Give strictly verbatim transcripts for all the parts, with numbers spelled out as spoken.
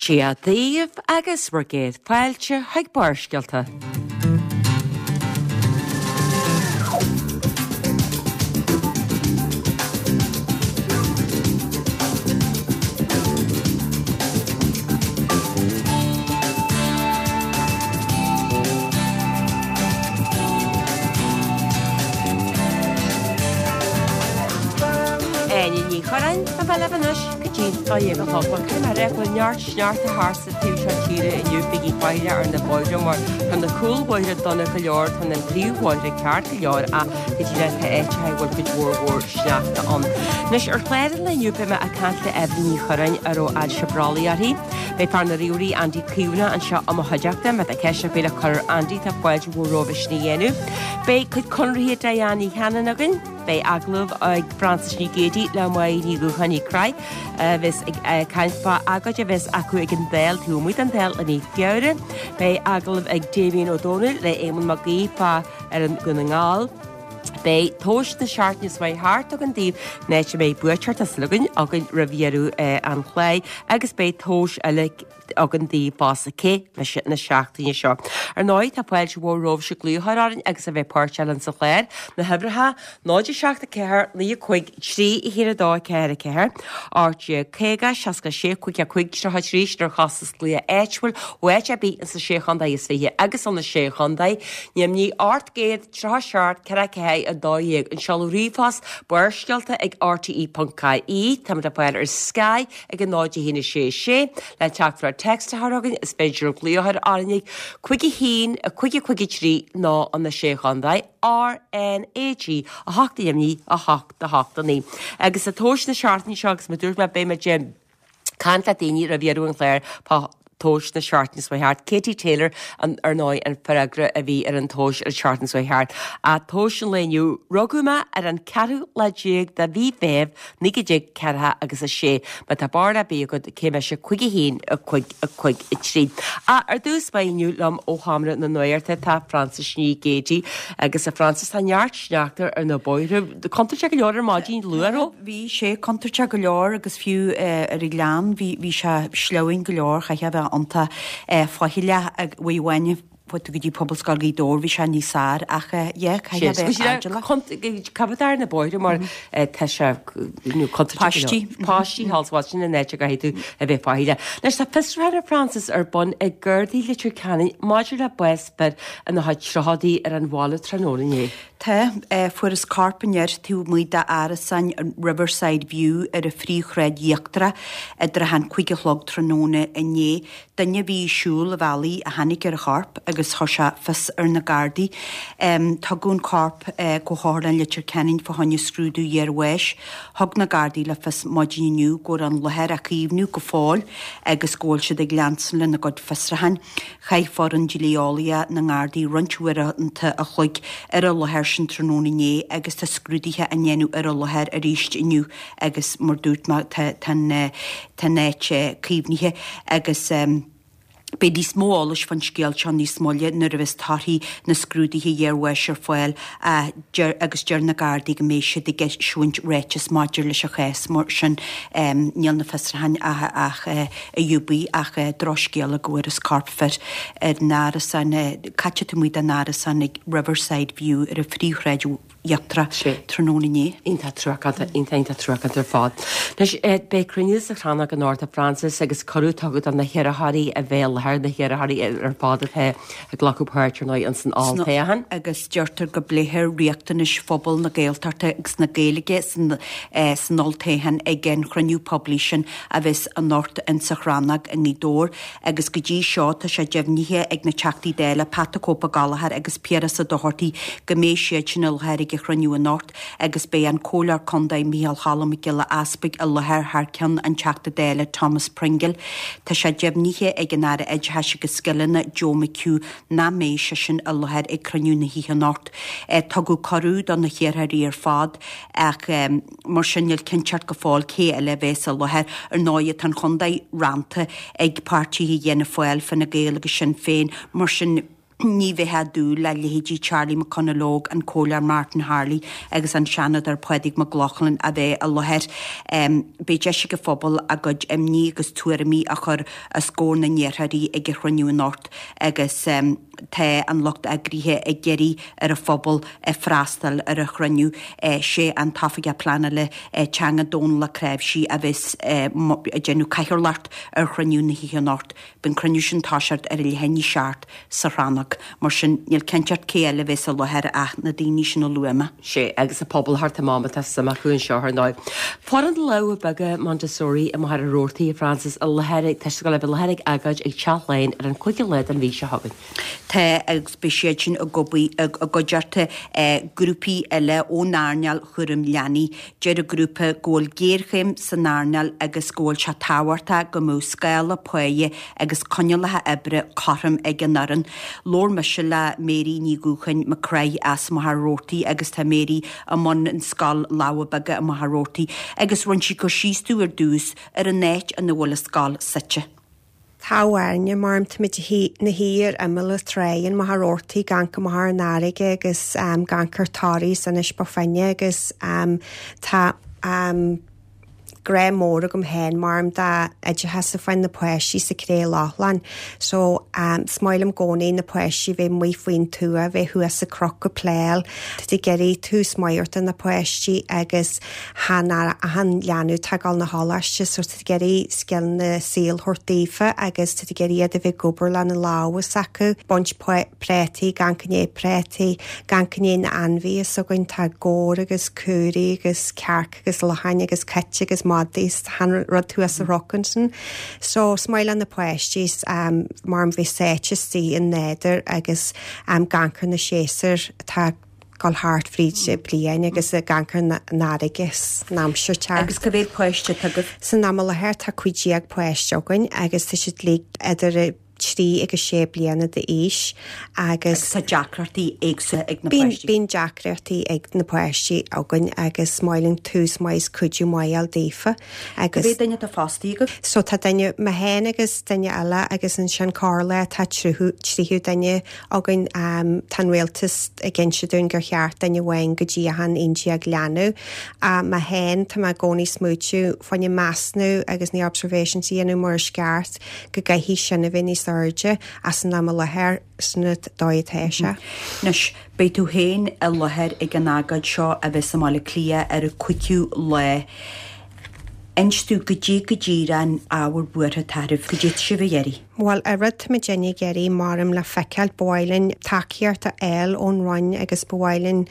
Dia daoibh agus bhur gcéad fáilte chuig Barrscéalta. Áine Ní Churráin a bheidh libh anois go dtí dó dhéag a chlog. Bhuel, caithfidh mé a rá go bhfuil neart sneachta thart sa taobh seo tíre inniu, bígí faichilleach ar na bóithre mar tá na cúlbhóithre dona go leor, tá na príomhbhóithre ceart go leor ach go díreach tá áiteacha a bhfuil cuid mhór mhór sneachta ann. Anois ar chlár an lae inniu beidh mé ag caint le Eibhlín Ní Churráin a raibh ailse brollaigh uirthi. Beidh fear na ríomhairí Andy Caomhánach anseo i mo chuideachta. Má tá ceist ar bith le cur ar Andy tá fáilte mhór romhaibh sin a dhéanamh. Beidh cuid conarthaí Diane Ní Chanainn againn. Beidh agallamh ag Frances Ní Ghéidigh le Máire Ní Dhúcháin Ní Craith a bheas ag caint fá agóid a bheas acu ag an Dáil taobh amuigh den Dáil i mí Feabhra. Beidh agallamh ag Damien Ó Dónaill le Éamonn Mac Aoidh fá fhoireann Dhún na nGall. Beidh tomhas na seachtaine seo thart againn daoibh an áit a mbeidh buaiteoir tá súil againn againn roimh dheireadh an chláir agus beidh tomhas eile againn daoibh fosta cé mise na seachtaine seo. Ar ndóigh tá fáilte mhór romhaibhse glaoch a chur orainn agus a bheith páirteach linn sa chlár, na huimhreacha, náid a seacht a ceathair, naoi a cúig, trí a haon a dó a ceathair a ceathair, ocht déag caoga, seasca a sé, cúig a cúig, tríocha a trí, sin ar chostas glaoch áitiúil ó áit ar bith ins na Sé Chontae is Fiche agus ó na Sé Chontae, Neimnigh ocht gcéad tríocha seacht ceithre ceathair a dó dhéag, an seoladh ríomhphost, Barrscéalta ag rte ponc ie, táimid le fáil ar Sky ag a náid a haon a sé sé, le teachtaireacht téacs a chur chugainn is féidir glaoch a chur orainn ag cúig a haon, a cúig a cúig a trí nó an na Sé Chontae, R N A G a hocht a deimhnigh a hocht a hocht a naoi. Agus sa tomhas na seachtaine seo agus mar a dúirt mé beidh muid ag caint le daoine roimh dheireadh an chláir fá tomhas na seachtaine seo thart. Katie Taylor an ar ndóigh an freagra a bhí ar an tomhas ar an tseachtain seo thart. A tomhas an lae inniu, rugadh mé ar an ceathrú lá déag de mhí Mheithimh naoi déag ceathracha agus a sé. Má tá barúil ar bith agat cé mise cúig a haon a cúig a cúig a trí. Ach ar dtús báire inniu liom ó Sheomra na Nuachta tá Frances Ní Ghéidigh agus a Frances tá neart sneachta ar na bóithre. Contúirteach go leor ar maidin luath raibh? Bhí sé contúirteach go leor agus fiú ar an ghleann bhí bhí sé sleamhain go leor chaithfeá a bheith iontach faichilleach ag uaidh amháin fuair tú go dtí Pobalscoil Ghaoth Dobhair bhí sé níos fearr ach yeah caithfidh a bheith airdeallach. Coimeád ar na bóithre mar tá sé contúirteach go leor. Páistí. Páistí thall is abhus sin an áit a gcaithfidh tú a bheith faichilleach. Anois tá fiosrúchán a Frances ar bun ag Gardaí Leitir Ceanainn maidir le bás fir ina chuid tríochaidí ar an bhaile tráthnóna inné. Tá, fuarthas corp an fhir taobh amuigh d'árasán Riverside View ar an phríomhshráid íochtarach idir a haon cúig a chlog tráthnóna inné. Duine a bhí ag siúl an bhealaigh a tháinig ar an chorp agus chuir sé fios ar na Gardaí. Tugadh an corp go hOtharlann Leitir Ceanainn fá choinne scrúdú iarbháis. Thug na Gardaí le fios maidin inniu go bhfuil an láthair á caomhnú go fóill agus go bhfuil siad ag leanstan lena gcuid fiosrúcháin. Chaith foireann dlí-eolaíoch na nGardaí roinnt uaireanta a chloig ar an láthair sin tráthnóna inné agus tá scrúduithe á ndéanamh ar an láthair arís inniu agus mar dúirt mé tá tá an áit caomhnaithe agus beidh níos mó eolais fán scéal seo níos moille nuair a bheas torthaí na scrúduithe iarbháis ar fáil agus deir na Gardaí go mbeidh siad ag eisiúint ráiteas maidir leis an chás mar sin níl na fiosrúcháin ach ach i gcrích ach drochscéala go bhfuarthas corp fir ar an árasán caite taobh amuigh den árasán ag Riverside View ar an phríomhshráid íochtarach tráthnóna inné. Iontach truacánta, iontach iontach truacánta ar fad. Anois beidh cruinniú sa Chrannóg anocht a Frances agus cuireadh tugtha do na hiarrthóirí a bheith i láthair, na hiarrthóirí ar fad atá ag glacadh páirt ar ndóigh ins an olltoghchán. Agus deirtear go bpléifear riachtanais phobal na Gaeltachta agus na Gaeilge san san olltoghchán ag an chruinniú poiblí sin a bheas anocht insa Chrannóg i nGaoth Dobhair agus go dtí seo tá sé deimhnithe ag na Teachtaí Dála Pat the Cope Ó Gallchóir agus Piaras Ó Dochartaigh go mbeidh siad sin i láthair ag an chruinniú anocht agus beidh an Comhairleoir Contae Micheál Cholm Mac Giolla Easpaig i láthair thar ceann an Teachta Dála Thomas Pringle. Tá sé deimhnithe ag an Aire Oideachais agus Scileanna Joe McHugh nach mbeidh seisean i láthair ag cruinniú na hoíche anocht. Tugadh cuireadh do na hiarrthóirí ar fad ach mar sin níl cinnteacht go fóill cé eile a bheas i láthair. Ar ndóigh tá an chontae rannta ag páirtithe Fhianna Fáil, Fine Gael agus Sinn Féin mar sin Ní bheifeá dúil le leithéidí Charlie McConalogue, an Comhairleoir Martin Harley agus an Seanadóir Pádraig Mac Lochlainn a bheith i láthair. Beidh deis ag an phobal a gcuid imní agus tuairimí a chur os comhair na n-iarrthóirí ag an chruinniú anocht agus tá an lucht eagraithe ag iarraidh ar an phobal freastal ar an chruinniú. Sé an tOifigeach Pleanála Teanga Dónal Ó Cnáimhsí a bheas ag déanamh cathaoirleacht ar chruinniú na hoíche anocht. Beidh an cruinniú sin toiseacht ar a leath i ndiaidh a seacht sa chrannóg. Mar sin, níl cinnteacht cé eile a bheas i láthair ach na daoine sin a luaigh mé. Sé, agus an pobal thart amach má tá suim acu anseo ar ndóigh. Foireann Lámha Beaga Montessori i Machaire Rabhartaigh, Frances, i láthair ag, tá siad ag dul a bheith i láthair ag agóid ag Teach Laighean ar an cúigiú lá den mhí seo chugainn. Tá, agus beidh siad sin i gcuideachta grúpaí eile ón earnáil chúraim leanaí. Deir an grúpa go bhfuil géarchéim san earnáil agus go bhfuil sé tábhachtach go mbeadh scála páighe agus coinníollacha oibre cothrom ag an fhoireann. Labhair mise le Mary Ní Dhúcháin McCraith as Machaire Rabhartaigh agus tá Mary i mbun an scoil Lámha Beaga i Machaire Rabhartaigh agus rinne sí cur síos dúinn ar dtús ar an áit ina bhfuil an scoil suite. Tá bhairne mar táimid 'na shuí ar imeall an trá in Machaire Rabhartaigh ag amharc amach ar an fharraige agus ag amharc ar Toraigh Inis Bó Finne agus tá grá mór agam féin mar dá oideachas a fáin na páistí sa Cré Lochlainn. So is maith liom i gcónaí na páistí bheith amuigh faoin tuath, bheith thuas sa chnoc ag playáil. Tá tú ag iarraidh tús maith a thabhairt do na páistí agus chan achan leanbh atá ag dul 'na choláiste so tá tú ag iarraidh scileanna saoil a thabhairt daofa agus tá tú ag iarraidh iad a bheith ag obair lena lámha s'acu, baint préataí, ag amharc i ndiaidh préataí, ag amharc i ndiaidh na ainmhithe s'againn, tá gabhair agus caoirigh agus cearca agus lachain agus cait agus madaí is achan rud thuas sa chnoc ansin. So is maith le na páistí um, mar bheith sáite istigh i nádúr agus um, ag amharc ar na séasúir atá gul thart fríd bliain agus ag amharc ar na fharraige san aimsir tearc. Agus cá mhéad páiste atá agaibh? San am i láthair tá cúig déag páiste againn agus tá siad uilig idir trí agus sé bliana d'aois agus Agus tá deacrachtaí éagsúla ag na Bíonn páistí. bíonn deacrachtaí ag na páistí againn agus maith linn tús maith is cuidiú maith a fháil daofa Agus agus mhéad duine atá fostaithe agaibh? So tá duine mé féin agus duine eile agus ansin corrlá tá tríú tríú duine againn um, tá an rialtas ag inse dúinn gur cheart duine amháin go dtí achan aon déag leanbh. Uh, mé féin tá mé i gcónaí ag smaoitiú faoin measúnú agus na observations a dhéanamh mar is ceart go gcaithfidh sin a bheith níos airde as an am i láthair san dóigh atá sé. Anois, beidh tú féin i láthair ag an agóid seo a bheas i mBaile Átha Cliath ar an cúigiú lá. Inis dúinn goidé go díreach an ábhar buartha atá oraibh, goidé atá sibh ag iarraidh. Well an rud táimid ag iarraidh maram le feiceáil ba mhaith linn tacaíocht a fháil ón Roinn agus ba mhaith linn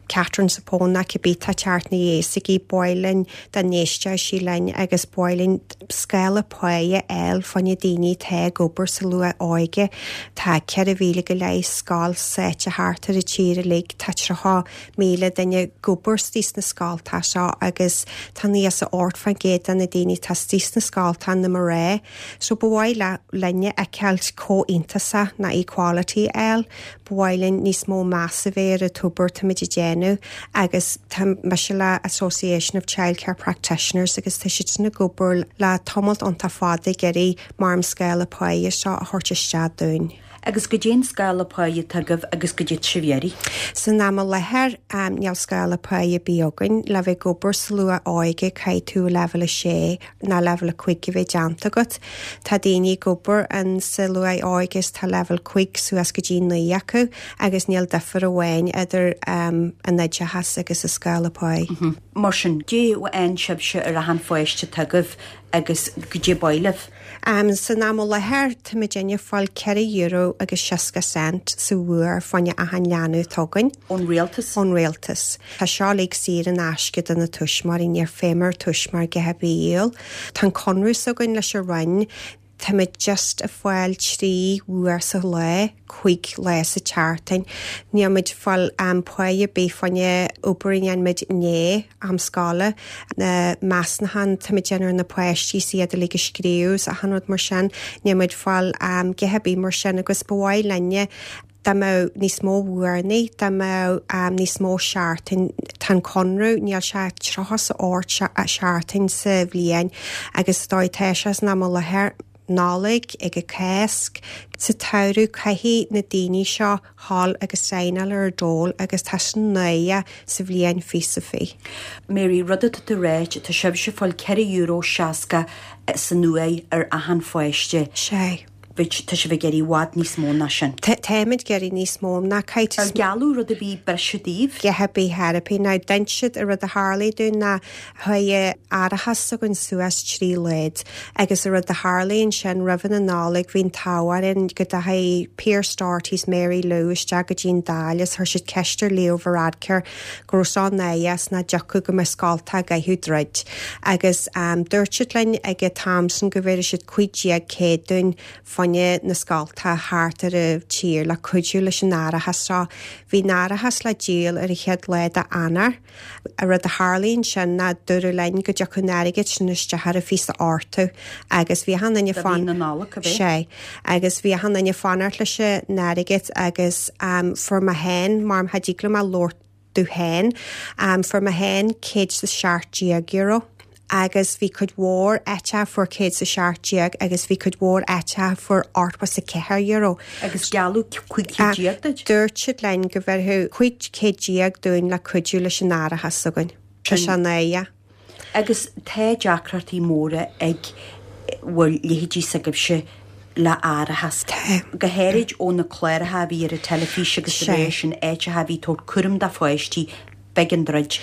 Catherine Zappone ná cibé tá teacht na dhéasaigí ba mhaith linn dá n-éisteodh sí linn agus ba mhaith linn scála páighe a fháil fá na daoine atá ag obair sa luath óige. Tá ceithre mhíle go leith scoil suite thart ar an tír uilig, tá tríocha míle duine ag obair istigh sna scoltacha seo agus tá níos ocht faoin gcéad de na daoine atá istigh sna scoltacha na mná. So ba mhaith le linne fheiceáil comhionannas ná equality a fháil, ba mhaith linn níos mó meas a bheith ar an obair táimid ag déanamh agus tá mise le Association of Childcare Practitioners agus tá siad sin ag obair le tamall iontach fada ag iarraidh mar an scála páighe seo a thabhairt isteach dúinn. Agus goidé an scála páighe atá agaibh agus goidé atá sibh ag iarraidh. San am i láthair um, níl scála páighe ar bith againn le bheith ag obair sa luath óige caithfidh tú level a sé ná level a cúig a bheith déanta agat. Tá daoine ag obair an sa luath óige is tá level cúig suas go dtí naoi acu agus níl difear amháin idir um, an oideachas agus a scála páighe. Mm -hmm. Mar sin, goidé a fhaigheann sibhse ar achan pháiste atá agaibh agus goidé ba mhaith libh. Um, san am i láthair táimid ag fáil ceithre euro agus seasca cent sa uair fá choinne achan leanbh atá againn. Ón rialtas? Ón rialtas. Tá seo uilig saor in aisce do na tuismitheoirí níor féidir tuismitheoir go hebíal. Tá an conradh s'againn leis an Roinn, Táimid just ag fáil trí uair sa lá, cúig lá sa tseachtain. Níl muid fáil am páighe ar bith fá choinne obair a dhéanaimid i ndiaidh am scoile. Na measúnuithe táimid ag déanamh ar na páistí is iad uilig a scríobh is achan rud mar sin, níl muid fáil um, go hebí mar sin agus ba mhaith linne dá mbeadh níos mó uaireanta, dá mbeadh um, níos mó seachtain tá an conradh níl sé tríocha is a hocht seachtain sa bhliain agus dóigh tá sé san am i láthair Nollaig, ag an Cásc. Sa tsamhradh caithfidh na daoine seo dhul agus saighneáil ar an dól agus tá sin náire sa bhliain fiche is fiche. Mary, rud atá tú ráit, tá sibhse ag fáil ceithre euro seasca san uair ar achan pháiste. Sé. Bit tá sibh ag iarraidh i bhfad níos mó ná sin. Táimid ag iarraidh níos mó ná caithfidh. Ar gealladh rud ar bith breise daoibh? A dhath ar bith chor ar bith. Now dúirt siad an rud a tharlaigh dúinn ná chuaigh árachas s'againn suas trí oiread agus an rud a tharlaigh ansin roimh na Nollag bhí an t-ádh orainn go dteachaigh Pearse Doherty 's Mary Lou isteach go dtí an Dáil is chuir siad ceist ar Leo Varadkar go raibh seo náireach is nach dtiocfadh go mbeadh scoltacha ag caitheamh troid agus dúirt siad linn ag an t-am sin go bhféadfadh siad cúig déag céad dúinn fá choinne na scoltacha thart ar an tír le cuidiú leis an árachas seo. Bhí an árachas le díol ar an chéad lá d'Eanáir. An rud a tharlaigh ansin ná dúradh linn go dtiocfadh an airgead sin isteach ar an fiche ochtú agus bhí achan duine fan na Nollag a bhí. Sé agus bhí achan duine fanacht leis an airgead agus um, fuair mé féin mar cha dtig liom a labhairt domh féin um, fuair mé féin céad is seacht déag euro. Agus bhí cuid mhór áite fuair céad is seacht déag agus bhí cuid mhór áite fuair ochtó is a ceathair euro. Agus gealladh cúig chéad déag duit? Dúirt siad linn go bhféadfadh cúig chéad déag dúinn le cuidiú leis an árachas s'againn. Tá sé náire. Agus tá deacrachtaí móra ag bhur leithéidí s'agaibhse le árachas. Tá. Go háirid ó na cláracha a bhí ar an teilifís agus Sé. de réir sin áiteacha a bhí tabhairt cúram do pháistí b'éigean druid.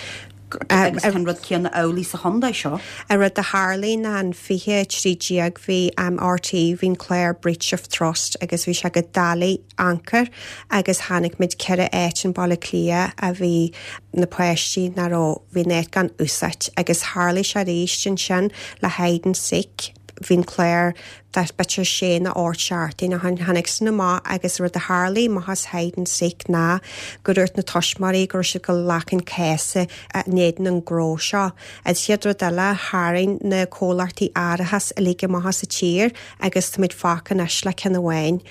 Agus tá an rud céanna amhlaidh sa chontae seo. An rud a tharlaigh ná an fiche trí déag bhí um, R T É bhí'n clár Breach of Trust agus bhí sé go doiligh anchor agus tháinig muid ceithre áit in Baile Cliath a bhí na páistí nach raibh bhí net gan úsáid agus tharlaigh sé arís ansin le hide and seek. Bhí'n clár b'fhéidir sé nó ocht seachtain a tháinig san amach agus rud a tharlaigh amach as hide and seek ná go dúirt na tuismitheoirí go raibh siad go leacan céasa in éadan an gnó seo. Agus chéad rud eile tharraing na comhlachtaí árachas uilig amach sa tír agus táimid fágtha anois le ceann amháin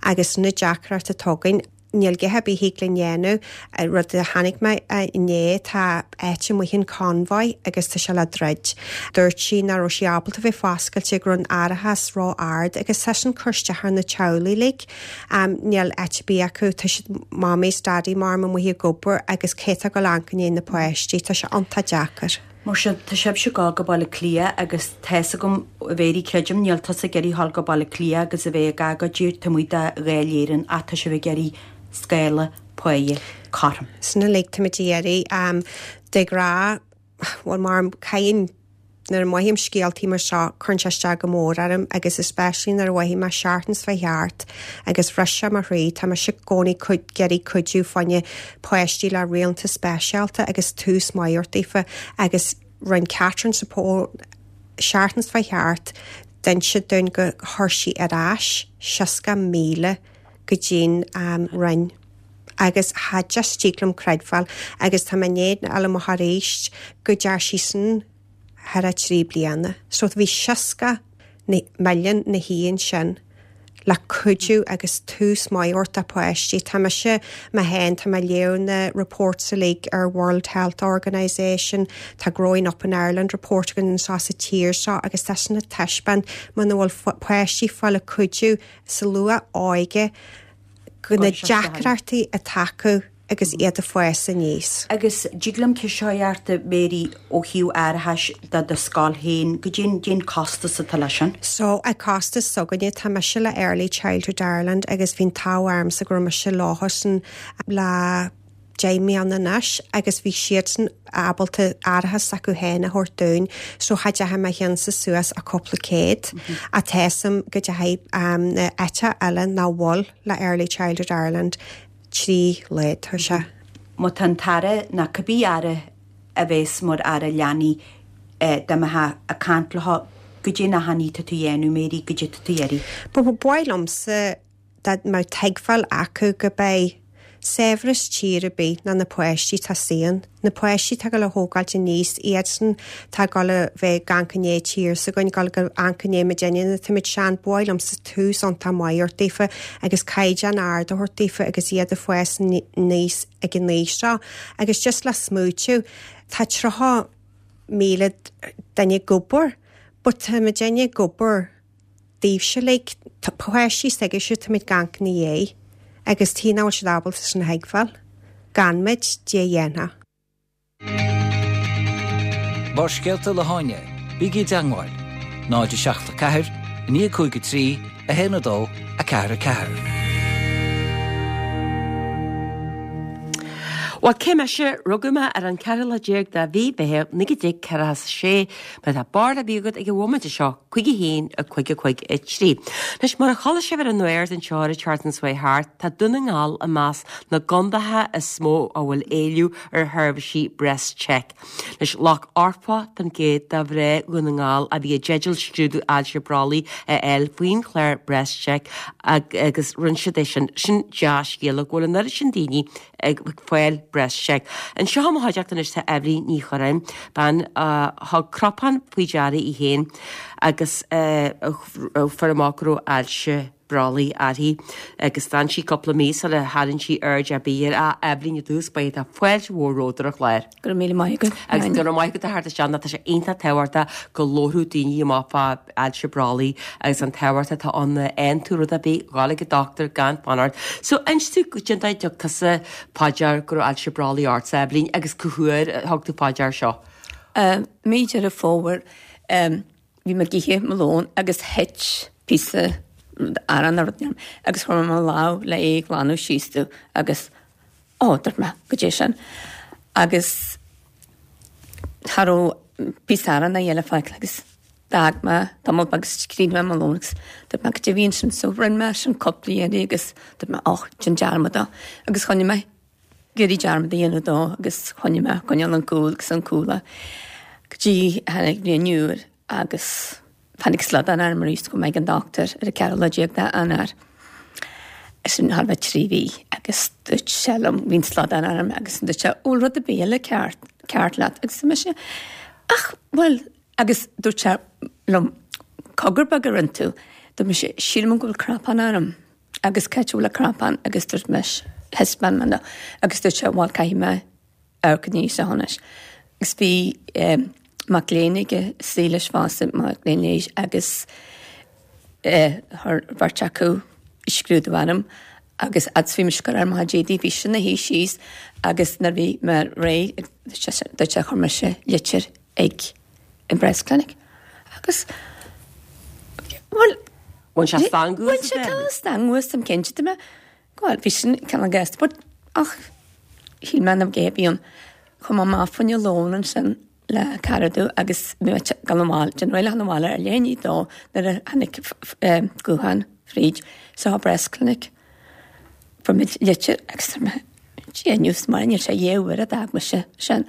agus na deacracht atá againn níl a dhath ar bith le dhéanamh rud a tháinig mé inné tá áit amuigh in Convoy agus tá sé le druid. Dúirt sí nach raibh sí ábalta bheith foscailte go raibh an árachas ró-ard agus tá sin cur isteach ar na teaghlaigh uilig. Um, níl áit ar bith acu tá siad mamaí daddy mar amuigh ag obair agus cé atá ag gabháil amharc i ndiaidh na páistí tá sé iontach deacair. Mar sin tá sibhse ag gabháil go Baile Cliath agus tá fhios agam a Mhéirí creidim níl tusa ag iarraidh dhul go Baile Cliath agus a bheith ag agóid taobh amuigh de Dháil Éireann ach tá sibh ag iarraidh scála páighe cothrom. Sin uilig táimid ag iarraidh um, de ghnáth well mar caiin nuair a mothaím scéaltaí mar seo cuireann sé isteach go mór orm agus especially nuair a mhothaigh mé seachtain is fiche thart agus bhris sé mo chroí tá mise i gcónaí ag iarraidh cuidiú fá choinne páistí le riachtanais speisialta agus tús maith daofa agus rinne Catherine Support seachtain is fiche thart d'inis dúinn go chuir sí ar ais seasca míle go dtí'n um, Roinn. Agus cha just tig liom creidbheáil agus tá mé néad eile mo arís go dear sí san thar a trí bliana. So bhí seasca milliún na híon sin le cuidiú agus tús maith do pháistí. Tá mise mé féin tá mé léamh na reports uilig ar World Health Organization, tá Growing Up in Ireland report againn sa sa tír seo agus tá sin ag taispeáint muna bhfuil páistí fáil cuidiú sa luath óige go na deacrachtaí atá acu agus iad ag fás aníos. Agus dtig liom ceist a Mary ó thaobh árachais do do scoil féin go dtí dén costas atá leis sin. So a costas s'againne tá mise le Early Childhood Ireland agus bhí'n t-ádh ormsa go raibh mise leosan le deich mbliana anois agus bhí siadsan ábalta árachas acu féin a thabhairt dúinn, so cha deachaigh mé cheannsa suas a cúpla céad mm -hmm. a tésam go dechaigh um, na eite eile ná bhfuil le Early Childhood Ireland trí oiread thar sé. Má tá an tAire ná cibé aire a bheas mar aire leanaí dá ag caint leo goidé na rudaí atá tú dhéanamh Mary goidé atá tú ag iarraidh. Ba ba mhaith liomsa mar tuigbheáil acu go beidh saibhreas tír ar bith ná na páistí tá saon. Na páistí tá go le thógáilt aníos iadsan tá go le bheith gan cinné tír sa goin gal go an cinné me déine na timid sean bhilm sa tús an tá maidir daofa agus caighdeán ard a thabhairt daofa agus iad ag fás aníos ag an aois seo agus just le smaoitiú tá tríocha míle duine ag obair, but tá muidinne ag obair Daoibhse like páistí s'agaibhse táimid ag amharc ina dhiaidh agus tí nach bhfuil siad ábalta sin a thuigbheáil. Gan muid Dé dhéanfadh. Barrscéalta le hÁine, bígí i dteagmháil, náid a seacht a ceathair, naoi cúig a trí, a haon a dó, a ceathair a ceathair. Bhuel, cé mise, rugadh mé ar an ceathrú lá déag de mhí Mheithimh naoi déag ceathracha a sé, má tá barúil ar bith agat ag an bhomaite seo, cúig a haon, a cúig a cúig a trí. Anois, mar a chuala sibh ar an nuacht anseo ar an tseachtain seo thart, tá Dún na nGall i measc na gcontaetha is mó a bhfuil éileamh ar sheirbhísí Breast Check. Anois, lucht ochtó faoin gcéad de mhná Dhún na nGall a bhí i dteideal scrúdú ailse brollaigh a fháil faoin chlár Breast Check agus rinne siad é sin. Sin dea-scéala go bhfuil an oiread sin daoine ag fáil Breast Check. Anseo i mo chuideachta anois tá Eibhlín Ní Churráin, bean a thug cnapán faoi deara í féin agus fuair amach go raibh ailse brollaigh uirthi agus d'fhan sí cúpla mí sula tharraing sí aird ar bith air. A Eibhlín i dtús báire tá fáilte mhór romhat ar an chlár. Go raibh míle maith agat. Agus go raibh maith agat a theacht isteach nó tá sé iontach tábhachtach go labhródh daoine amach fá ailse brollaigh agus an tábhacht atá ann má fhaigheann tú rud ar bith, dhul ag an dochtúir gan fanacht. So inis domh cén dóigh a dtug tusa fá dear go raibh ailse brollaigh ort, a Eibhlín, agus cá huair a thug tú fá dear seo? Mí Deireadh Fómhair bhí mé ag ithe mo lón agus thit píosa arán nó rud orm agus chuir mé mo lámh le é a ghlanadh síos domh agus ó dúirt mé goidé sin agus cha raibh píosa arán eile fágtha agus d'fhág mé tamall beag agus chríochnaigh mé mo lón agus dúirt mé goidé a bhí ansin so rinne mé sin cúpla iarraidh agus dúirt mé och déan dearmad dó agus choinnigh mé ag iarraidh dearmad a dhéanamh dó agus choinnigh mé coinneáil an cúl agus an cúl go dtí tháinig bliain úr agus tháinig slaghdán orm arís go mbeidh an dochtúir ar an ceathrú lá déag d'Eanáir. Sin thar bheith trí mhí agus dúirt sé liom bhí an slaghdán orm agus dúirt sé bhfuil rud ar bith eile ceart ceart leat agus mise ach bhuel agus dúirt sé liom cogar beag a rinne tú dúirt mise sílim go bhfuil cnapán orm agus cá háit a bhfuil an cnapán agus dúirt mise thaispeáin mé agus dúirt sé bhuel caithfidh mé amharc níos anois. Agus bhí um, mac léinn aige istigh leis fosta mac léinn leighis agus chuir beirt acu scrúdú orm agus fhad is bhí mise ag cur ar mo chuid éadaí bhí sin ina shuí síos agus nuair bhí mé réidh dúirt sé chuir mise litir ag an breast clinic agus bhuel Bhain sé stangadh Bhain sé stangadh asam cinnte de mé bhuel bhí sin cineál gasta but ach shíl mé nach gé bhí an chuaigh mé amach fá choinne lón ansin le cara domh agus bhí mé ag dul abhaile déanamh réidh le dhul abhaile ar leath i ndiaidh a dó nuair a tháinig guthán fríd sa breast clinic. Fuair mé litir agus dúirt mé Dia inniu is mar níl sé dhá uair a d'fhág mise sin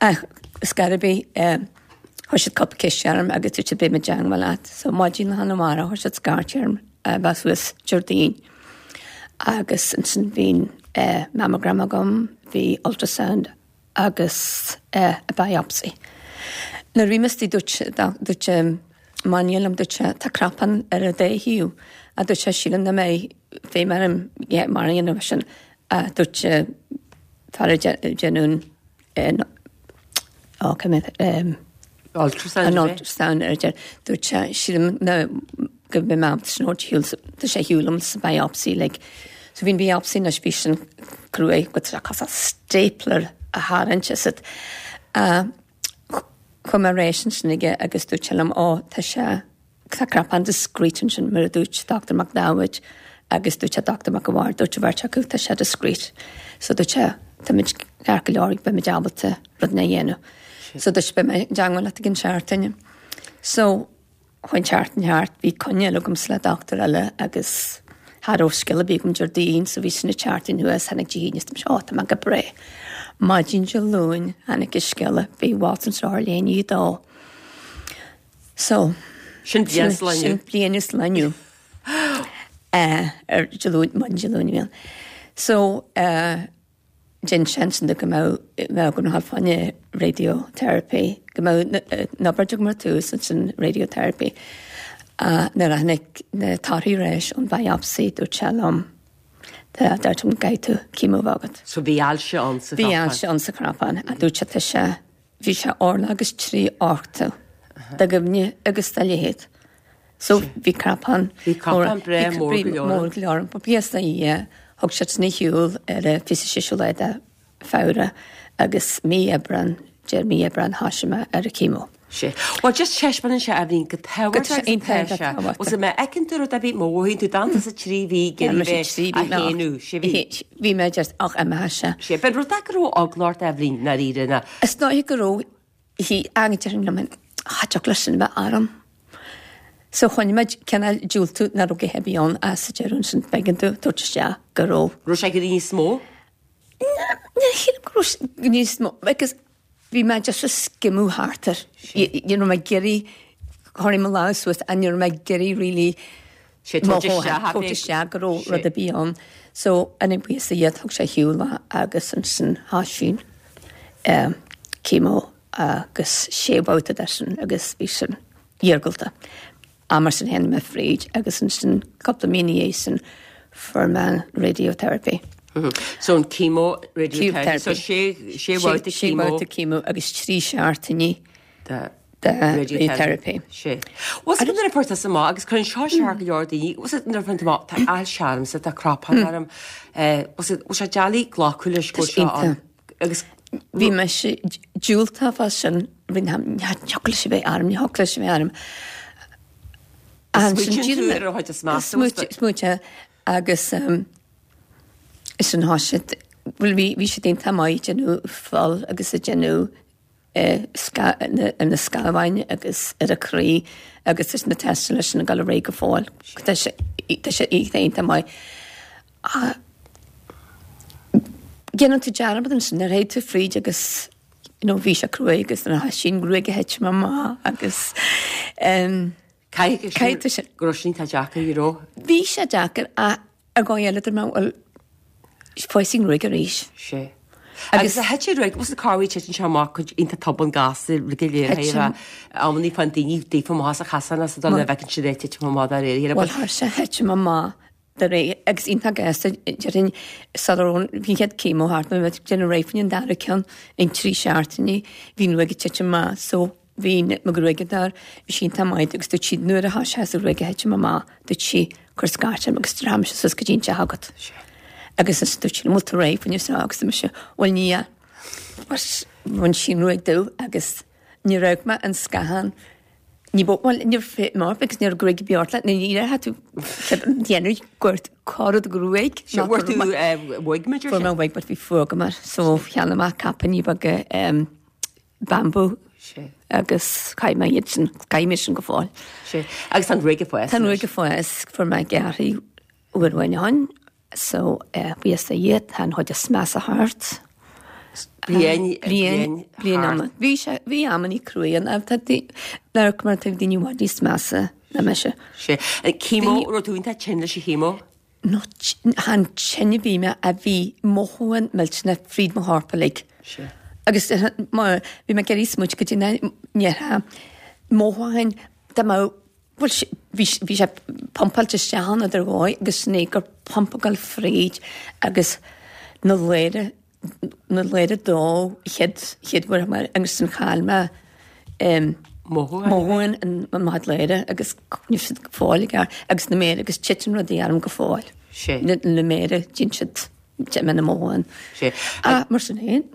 ach is gar ar bith chuir siad cúpla ceist orm agus dúirt siad beidh muid i dteangmháil leat. So maidin lá arna mhárach chuir siad scairt orm a bheith suas Déardaoin agus ansin bhí mammogram agam, bhí ultrasound agus a biopsy. Nuair a bhí mé istigh dúirt dúirt máinlia liom dúirt sé tá cnapán ar an dá thaobh a dúirt sé sílim nach mbeidh feidhm orm mar a dhéanamh sin a dúirt fear a déanamh ó cé mhéad Ultrasound an ultrasound ar deir dúirt sé sílim na go mbeidh mé ábalta sin a thabhairt ar shiúl tá sé ar shiúl liom sa biopsy like so bhí an biopsy anois bhí sin cruaidh go tá cosúil stapler a tharraingt as it. Chuaigh mé ar ais ansin aige agus dúirt sé liom ó tá sé tá cnapán discreet ansin mar a dúirt Doctor Mac Dáibhid agus dúirt sé Doctor Mac a' Bhaird dúirt an bheirt acu tá sé discreet. So dúirt sé táimid ceart go leor beimid ábalta rud a dhéanamh. So dúirt sé beidh mé i dteangmháil leat i gcionn seachtaine. So chuaigh an tseachtain thart, bhí coinne eile agamsa le dochtúir eile agus cha raibh scéal ar bith agam Déardaoin so bhí sin an tseachtain thuas, tháinig Dé hAoine is dúirt mise, ó tá mé go breá. Maidin Dé Luain tháinig an scéala, bhí Watson seo ar leath i ndiaidh a dó. So Sin bliain is lá inniu. Sin bliain is lá inniu. Eh, ar Dé Luain, maidin Dé Luain a bhí ann. So eh, Dhein sé ansin go mbeadh mbeadh agam a ghabháil fá choinne radiotherapy, go mbeadh an obráid agam ar tús ansin radiotherapy. Nuair a tháinig na torthaí ar ais ón biopsy dúirt sé liom tá deir tú go gcaithfidh tú chemo a bheith agat. So bhí ailse ann sa Bhí ailse ann sa chnapán a dúirt sé tá sé bhí sé orlach agus trí ochtú de dhoimhne agus de leithead. So bhí cnapán Bhí cnapán breá mór go leor. Mór go leor. Ba bhíos na dhia, thug siad san shiúl ar a fiche séú lá de Feabhra agus mí Aibreán, deir mí Aibreán thosaigh mé ar a chemo. Sé. Well, just taispeánann sé Eibhlín go Go tábhachtach iontach go tábhachtach. Was mé fheiceann tú rud ar bith má mhothaíonn tú dantas sa trí mhí Bhí ag iarraidh bheith a shéanú, sé mhí. Bhí mé just ach imithe sé. Sé, ben rud é go raibh eagla ort Eibhlín ndáiríre ná. Is dóigh go raibh hí agan liom cha dtiocfadh leis sin a bheith orm. So choinnigh muid cineál diúltú nach raibh go bhí ann as sa deireadh ansin b'éigean dó tabhairt isteach go raibh. Raibh sé go níos mó? Ní shílim go raibh sé níos mó because bhí mé just ag scimeadh thart air. Ní raibh mé ag iarraidh chuir mo lámh suas and ní raibh mé ag iarraidh really Sé tabhairt isteach tabhairt isteach go raibh rud ar bith ann. So an buíochas le Dia thug sé shiúl é agus ansin thosaigh um, chemo agus sé bhabhta de sin agus bhí sin iargúlta. A mar sin tháinig mé fríd agus ansin cúpla mí ina dhiaidh sin fuair mé radiotherapy. So an chemo radiotherapy. So sé sé bhabhta Sé chemo bhabhta chemo agus trí seachtainí de de radiotherapy. Sé. Was it nuair a fuair tusa amach agus cuireann seo sear go leor daoine, was it nuair a fuair tú amach tá ailse ormsa tá cnapán orm, eh, was it was sé deacair glacadh leis go Tá sé seo ann? iontach. Agus Bhí mé sé diúltach fá sin bhí ní thiocfadh leis a bheith orm, ní thiocfadh leis a bheith orm. Smaoitíonn tú ar a chuid is measa, was it? Smaointe agus um, sin thá siad bhuel bhí bhí siad iontach maith ag déanamh fuil agus ag déanamh eh, sca- na na scamhain agus ar a croí agus is na teisteanna leis sin ag dul ar aghaidh go fóill. Tá sé tá sé iontach maith. Ah, Déanann tú dearmad ansin ar théid tú fríd agus you know, bhí sé cruaidh agus na sin gruaig a thit amach agus um, Caithfidh Caithfidh sin- go raibh sin tá deacair, you know. bhí sé deacair a ar dhóigh eile dúirt mé bhuel fásfaidh an ghruaig arís. Sé. Agus a thit ruaig, was carhí titeann sé amach chuid iontach tobann gasta le go léir Thit a amannaí fan daoine daofa amach as a chasan as dul le bheith siad titim amach dá réir. Bhuel thar sé thit amach de réir agus iontach gasta déarfainn sula raibh bhí chéad chemo thart nó bheith déanamh réidh faoin dara ceann in trí seachtainí bhí an ghruaig ag titim amach so bhí mo ghruaig dar bhí sí iontach maith agus dúirt siad nuair a thá sé sa ghruaig a thitim amach dúirt sí cuir scairt orm agus déarfaidh mise suas go dtí an teach agat. Agus is dúirt sí bhfuil tú réidh faoin seo agus mise bhuel ní ea. Bhain sí an ghruaig domh agus ní raibh mé an scáthán Ní bo well ní fit mar because ní gruaig beart le ní raibh tú déanamh gort corad gruaig Sé bhfuair tú wig me Fuair mé wig but bhí fuath agam air so cheannaigh mé caipíní beaga um, bambú Sé. agus chaith mé iad sin caithim iad sin go fóill. Sé. Agus an gruaig ag fás. Tá an ghruaig ag fás fuair mé gearrtha uair amháin ó shin so uh, buíochas le Dia tá an chuid is measa thart. Bliain Bliain bliain ama. Bhí sé bhí amannaí cruaidh an tá mar mar tá daoine i bhfad níos measa ná mise. Sé. Chemo raibh tú iontach tinn leis an chemo? No han tine bhí mé a bhí mothúcháin millteanach fríd mo chorp uilig. Sé. Agus mar bhí mé ag iarraidh smaoineamh go dtí na ndéarfá mothúcháin dá mbeadh bhuel bhí bhí sé pumpáilte isteach ann idir dhóigh agus sin é gur pumpa ag dul fríd agus na léire na léire dó chéad chéad uair mar agus sin chaill mé um, Mothúcháin. mothúcháin an an mo léire agus ní siad go fóill aige agus na méire agus titeann rudaí orm go fóill. Sé. Na na méire dtín siad na mothúcháin. Sé. Ah, mar sin féin.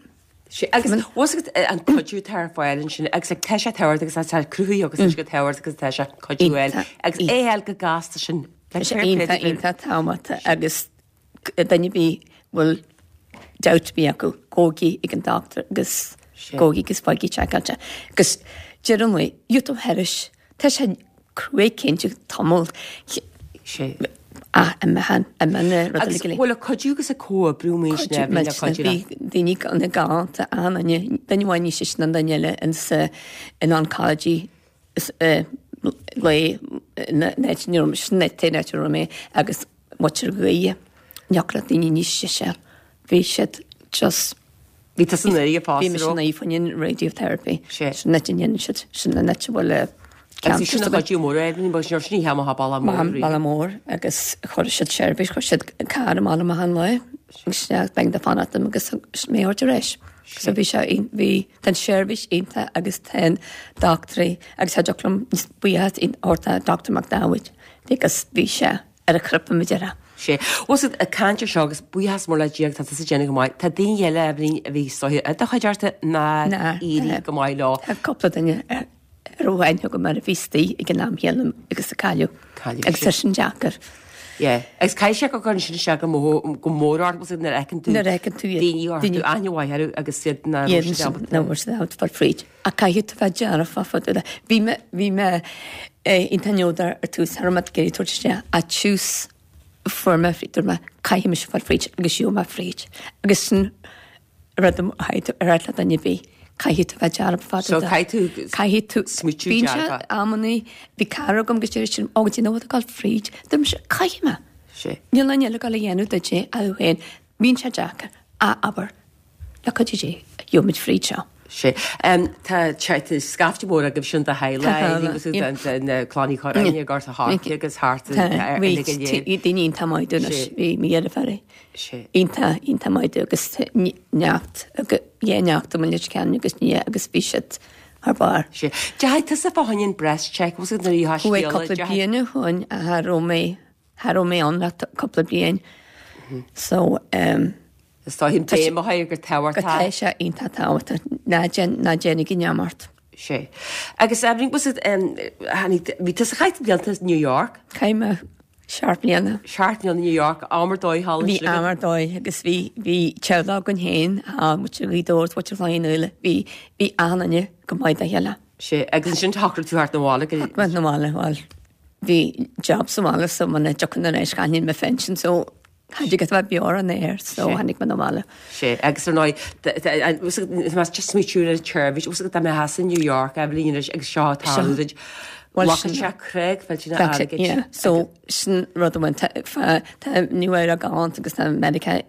Sé agus was it an cuidiú tá ar fáil ansin agus like, tá sé tábhachtach agus tá cruthaí agus tá sé go tábhachtach agus tá sé cuidiú eil agus é eil go gasta sin. Tá sé iontach iontach tábhachtach agus duine bí bhfuil doubt bí acu gabhaigí ag an doctor agus Sé. gabhaigí agus faighigí seiceáilte. Agus deireann mé, YouTube thairis, tá sé cruaidh cinnte tamall Sé. a a mehan a mena rud Agus eile. bhfuil a cuidiú agus a comhoibriú mé sin le cuidiú Bhí daoine an na galánta an duine amháin níos sine ná an duine eile in sa in oncology is, eh, le na net mé agus muintir Ghaoithe neachla daoine níos sise. Bhí siad just Bhí tú san aoí Bhí mé sin faoin an radiotherapy. Sé. Sin net dhéanann siad sin na net bhfuil Agus sin a chuidiú mór é bhí sin sin he ha balla mór. Balla mór agus chuir siad seirbhís chuir siad carr amach amach an lá Agus b'éigean domh fanacht liom agus mé a thabhairt ar ais. So bhí sé bhí tá an seirbhís iontach agus tá an dochtúirí agus cha dtiocfadh liom níos buíochas a thabhairt do Doctor Mac Dáibhid agus bhí sé ar a chrip am deireadh. Sé. Bhfuil siad ag caint ar seo agus buíochas mór le Dia tá tusa ag déanamh go maith. Tá daoine eile Eibhlín a bhí istigh i do chuideachta nár éirigh go maith leo. Tá cúpla duine a raibh aithne agam air a bhí istigh ag an am chéanna agus a cailleadh. Cailleadh. Agus tá sin deacair. Yeah. Agus caithfidh sé go gcuireann sin isteach go mór go mór ort bhfuil nuair a fheiceann tú Nuair a fheiceann tú iad. daoine a chuir tú aithne mhaith orthu agus iad nach raibh siad ábalta. Nach raibh siad ábalta fáil fríd. Ach caithfidh tú bheith dearfach fá dtaobh de. Bhí mé bhí mé iontach neodrach ar tús, cha raibh mé ag iarraidh tabhairt isteach ach tús fuair mé fríd, dúirt mé caithfidh mise fáil fríd agus gheobhaidh mé fríd. Agus sin rud a chaithfidh tú a rá le duine ar bith, caithfidh tú bheith dearfach fá So dtaobh de. caithfidh tú Caithfidh tú smaoitiú Bíonn sé dearfach. amannaí, bhí cara agam agus deir sí liom, "Ó, do you know what, ag dul fríd." Dúirt mise, "Caithfidh mé." Sé. Níl aon eile ag dul a dhéanamh duit é ach tú féin. Bíonn sé deacair. Ach abair, le cuidiú Dé, gheobhaimid fríd seo. Sé. Tá scaifte mór agaibh sin de theaghlach agus na Clann Uí Churráin i nGort a' Choirce agus thart ar Bhí daoine iontach maith dúinn anois, bhí mo dheirfiúr iontach, iontach maith dúinn agus neacht, dhá neacht i Leitir Ceanainn agus nia agus bhí siad thar barr. Sé. Deachaigh tusa fá choinne an breast check, bhfuil siad nuair a Chuaigh cúpla bliain ó shoin a cha raibh mé, cha raibh mé ann le cúpla bliain. So, um, Is dóigh an béim a chur gur tábhachtach. Go tá sé iontach tábhachtach. Ná déan, ná déanaigí neamart. Sé. Agus Eibhlín, was it, um, tháinig, bhí tusa chaith blianta New York? Chaith mé seacht mbliana. Seacht mbliana New York, am ar dóigh thall Bhí am ar dóigh agus bhí, bhí teaghlach againn féin, tá muintir Ghaoth Dobhair, muintir Chloich Cheann Fhaola, bhí, bhí achan duine go maith dá chéile. Sé, agus ansin shocraigh tú theacht 'na bhaile go. Theacht 'na bhaile, bhuel, bhí job sa bhaile so muna dtiocfainn ar ais chaillfinn mo phension so Cha dtig leat a bheith beo ar an aer so tháinig mé 'na bhaile. Sé, agus ar ndóigh, más just smaoitiú ar an tseirbhís, bhfuil a fhios agat dá mbeifeá in New York, Eibhlín, anois agus seo ag tarlú duit, ghlacfadh sé creag mhillteanach airgid. Yeah, so sin rud amháin, tá tá Nua Eabhrac galánta agus tá Meiriceá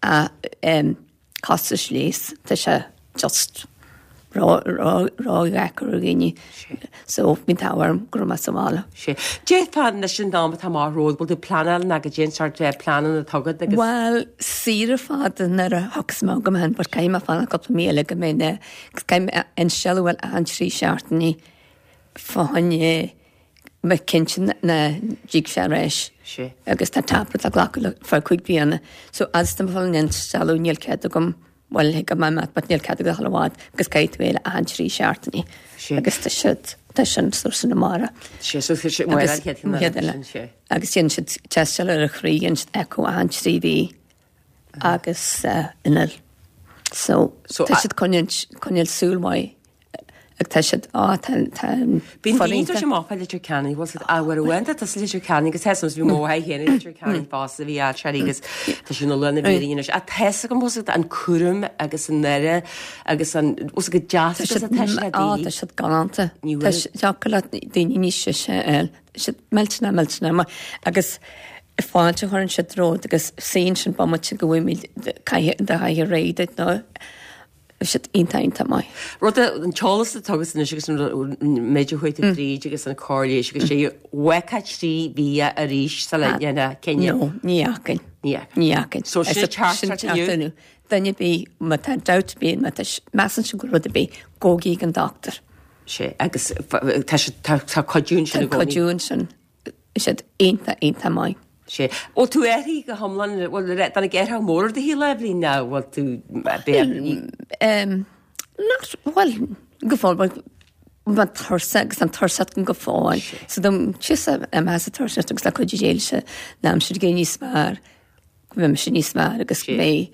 a costais leighis, tá sé just ró-dheacair ar dhaoine. So bhí an t-ádh orm go raibh mé sa bhaile. Sé. Déarfá anois an am atá amach romhat, bhfuil tú ag pleanáil ná goidé an sórt pleananna atá agat agus. Bhuel, saoire fada nuair a thiocfas mé agam féin, but caithfidh mé fanacht cúpla mí eile go mbeidh na, caithfidh mé instealladh bhuel achan trí seachtainí fá choinne bheith cinnte nach dtig sé ar ais. Sé. Agus tá tablet le glacadh le feadh cúig bliana. So fhad is tá mé ag fáil an instealladh níl cead agam Bhuel, thig go mbeidh mé, but níl cead agat a dhul i bhfad agus caithfidh tú é a achan trí seachtainí. Agus tá siad, tá sin so sin amárach. Sé, so tá sé, bhuel, an chéad cheann eile, sin sé. Agus déanann siad tástáil ar an chroí, déanann siad echo achan trí mhí agus inneall. So, tá siad coinneáil, coinneáil súil mhaith. Ag tá siad, á, tá, tá an Bíonn daoine tar éis amach fá Leitir Ceanainn, bhfuil siad, ah, bhuel, uaireanta tá sa Leitir Ceanainn agus tá 's bhí mo mháthair féin i Leitir Ceanainn fosta, bhí á seirí agus tá sí ina lán a bhí anois. Ach tá 's agam, bhfuil 's agat, an cúram agus an aire agus an, bhfuil 's agat, deas agus atá sé le Á, daoine. tá siad galánta. Ní Tá bhfuil. sé, deacair le daoine níos sise a fháil. Tá siad millteanach, millteanach maith. Agus fáilte a chuireann siad romhat agus suíonn sin bomaite go bhfuil caithfidh, do chaithfidh réidh duit nó Bhí siad iontach, iontach maith. Rud a, an t-eolas atá agat anois agus an méid a chuaigh tú tríd agus an cóir leighis agus sé, bhfeicfeá trí mhí arís sula ndéanfá cinneadh? No, ní fheacainn. Ní fheacainn. Ní fheacainn. So sin teachtaireacht inniu? Duine ar bith, má tá dabht ar bith, má tá, measann siad go bhfuil rud ar bith, gabhaigí ag an dochtúir. Sé, agus tá sé, tá, tá cuidiú ansin i Tá gcónaí. cuidiú ansin. Bhí siad iontach, iontach maith. Sé. Bhfuil tú athraithe go hiomlán, bhfuil, tháinig athrú mór ar do shaol, Eibhlín, nó bhfuil tú, b'fhéidir, Em, nach, bhuel, go fóill, bhuel, bhí tuirse agus an tuirse agam go fóill. So dom, tusa a mheas an tuirse agus le cuidiú Dé leis an aimsir ag éirí níos fearr, go mbeidh mise níos fearr agus go mbeidh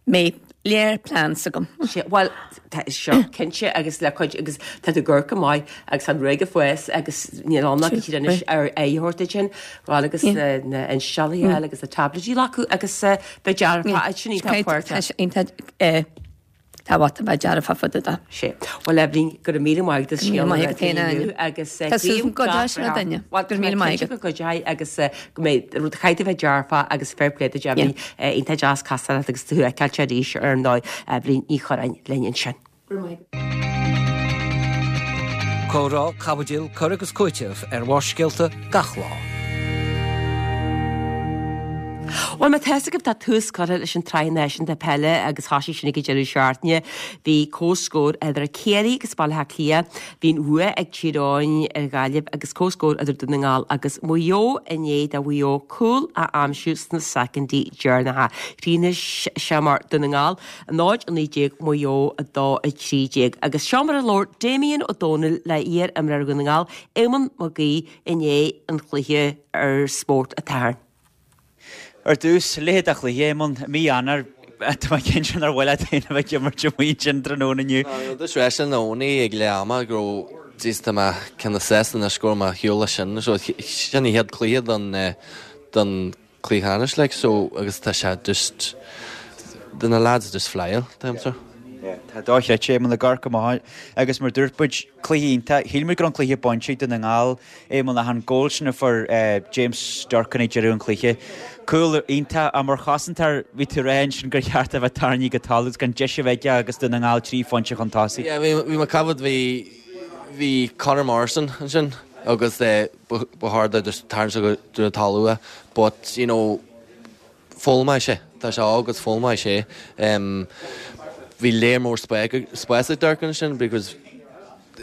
mbeidh léir plans agam. Sé, bhuel, tá seo cinnte agus le cuid, agus tá tú ag amharc go maith agus tá an ghruaig ag fás agus níl ann ach siad anois ar aghaidh a thabhairt duit sin, bhuel agus na, na insteallaí eile agus na taibléidí a ghlacadh agus bheith dearfach, sin iontach Tá sé iontach, eh, tábhachtach bheith dearfach fá dtaobh de. Sé. Bhuel, Eibhlín, go raibh míle maith agat as Go raibh míle scéal maith agat féin, Áine. agus Tá súil agam go gcuideoidh sé le duine. Bhuel, Go raibh míle maith agat. go gcuideoidh agus go mbeidh rud chaithfidh bheith dearfach agus fair play duit Eibhlín. Iontach deas casadh leat agus tú a fheiceáil arís ar ndóigh Eibhlín Ní Churráin linn ansin. Go raibh maith agat. Comhrá, caibidil, cur agus cúiteamh ar Bharrscéalta gach lá. Bhuel má tá fhios agaibh tá tús curtha leis an tSraith Náisiúnta Peile agus thosaigh sin ag an deireadh seachtaine. Bhí comhscór idir Ciarraí agus Baile Átha Cliath, bhí an bhua ag Tír Eoghain ar Ghaillimh agus comhscór idir Dún na nGall agus Maigh Eo i ndiaidh do Mhaigh Eo cúl a aimsiú sna soicindí deireanacha. Chríochnaigh sé mar Dún na nGall a náid a naoi déag Maigh Eo a dó a trí déag. Agus seo mar a labhair Damien Ó Dónaill le iar-imreoir Dhún na nGall, Éamonn Mac Aoidh i ndiaidh an chluiche ar Spórt an tSathairn. Ar dtús, leithéid de chluiche, Éamonn, i mí Eanáir, tá mé cinnte nár mhaith leat féin a bheith ag imirt amuigh ansin tráthnóna inniu. Dúirt freisin Owenie ag leath ama go raibh jeez tá mé cineál sásta anois go raibh mé ar shiúl leis sin so sin an chéad cluiche don don cluiche ceannais like so agus tá sé just do na lads just flying tá so. Tá dochreidte, Éamonn, ag amharc amach agus mar dúirt muid, cluiche iontach. Shíl muid go raibh an cluiche bainte ag Dún na nGall, Éamonn, ach an goal sin a fuair James Durcan ag deireadh an chluiche. Cúl iontach ach mar chosantóir bhí tú ag rá ansin gur cheart a bheith tarraingthe go talamh agus gan deis a bheith aige agus Dún na nGall trí phointe chun tosaigh. Yeah, bhí bhí mé ag ceapadh bhí bhí Conor Morrison ansin agus ba chóir dó just tarraingt go dtí an talamh é but you know foghlaimeoidh sé, tá sé óg agus foghlaimeoidh sé. Bhí léar mór spáis ag Durcan ansin because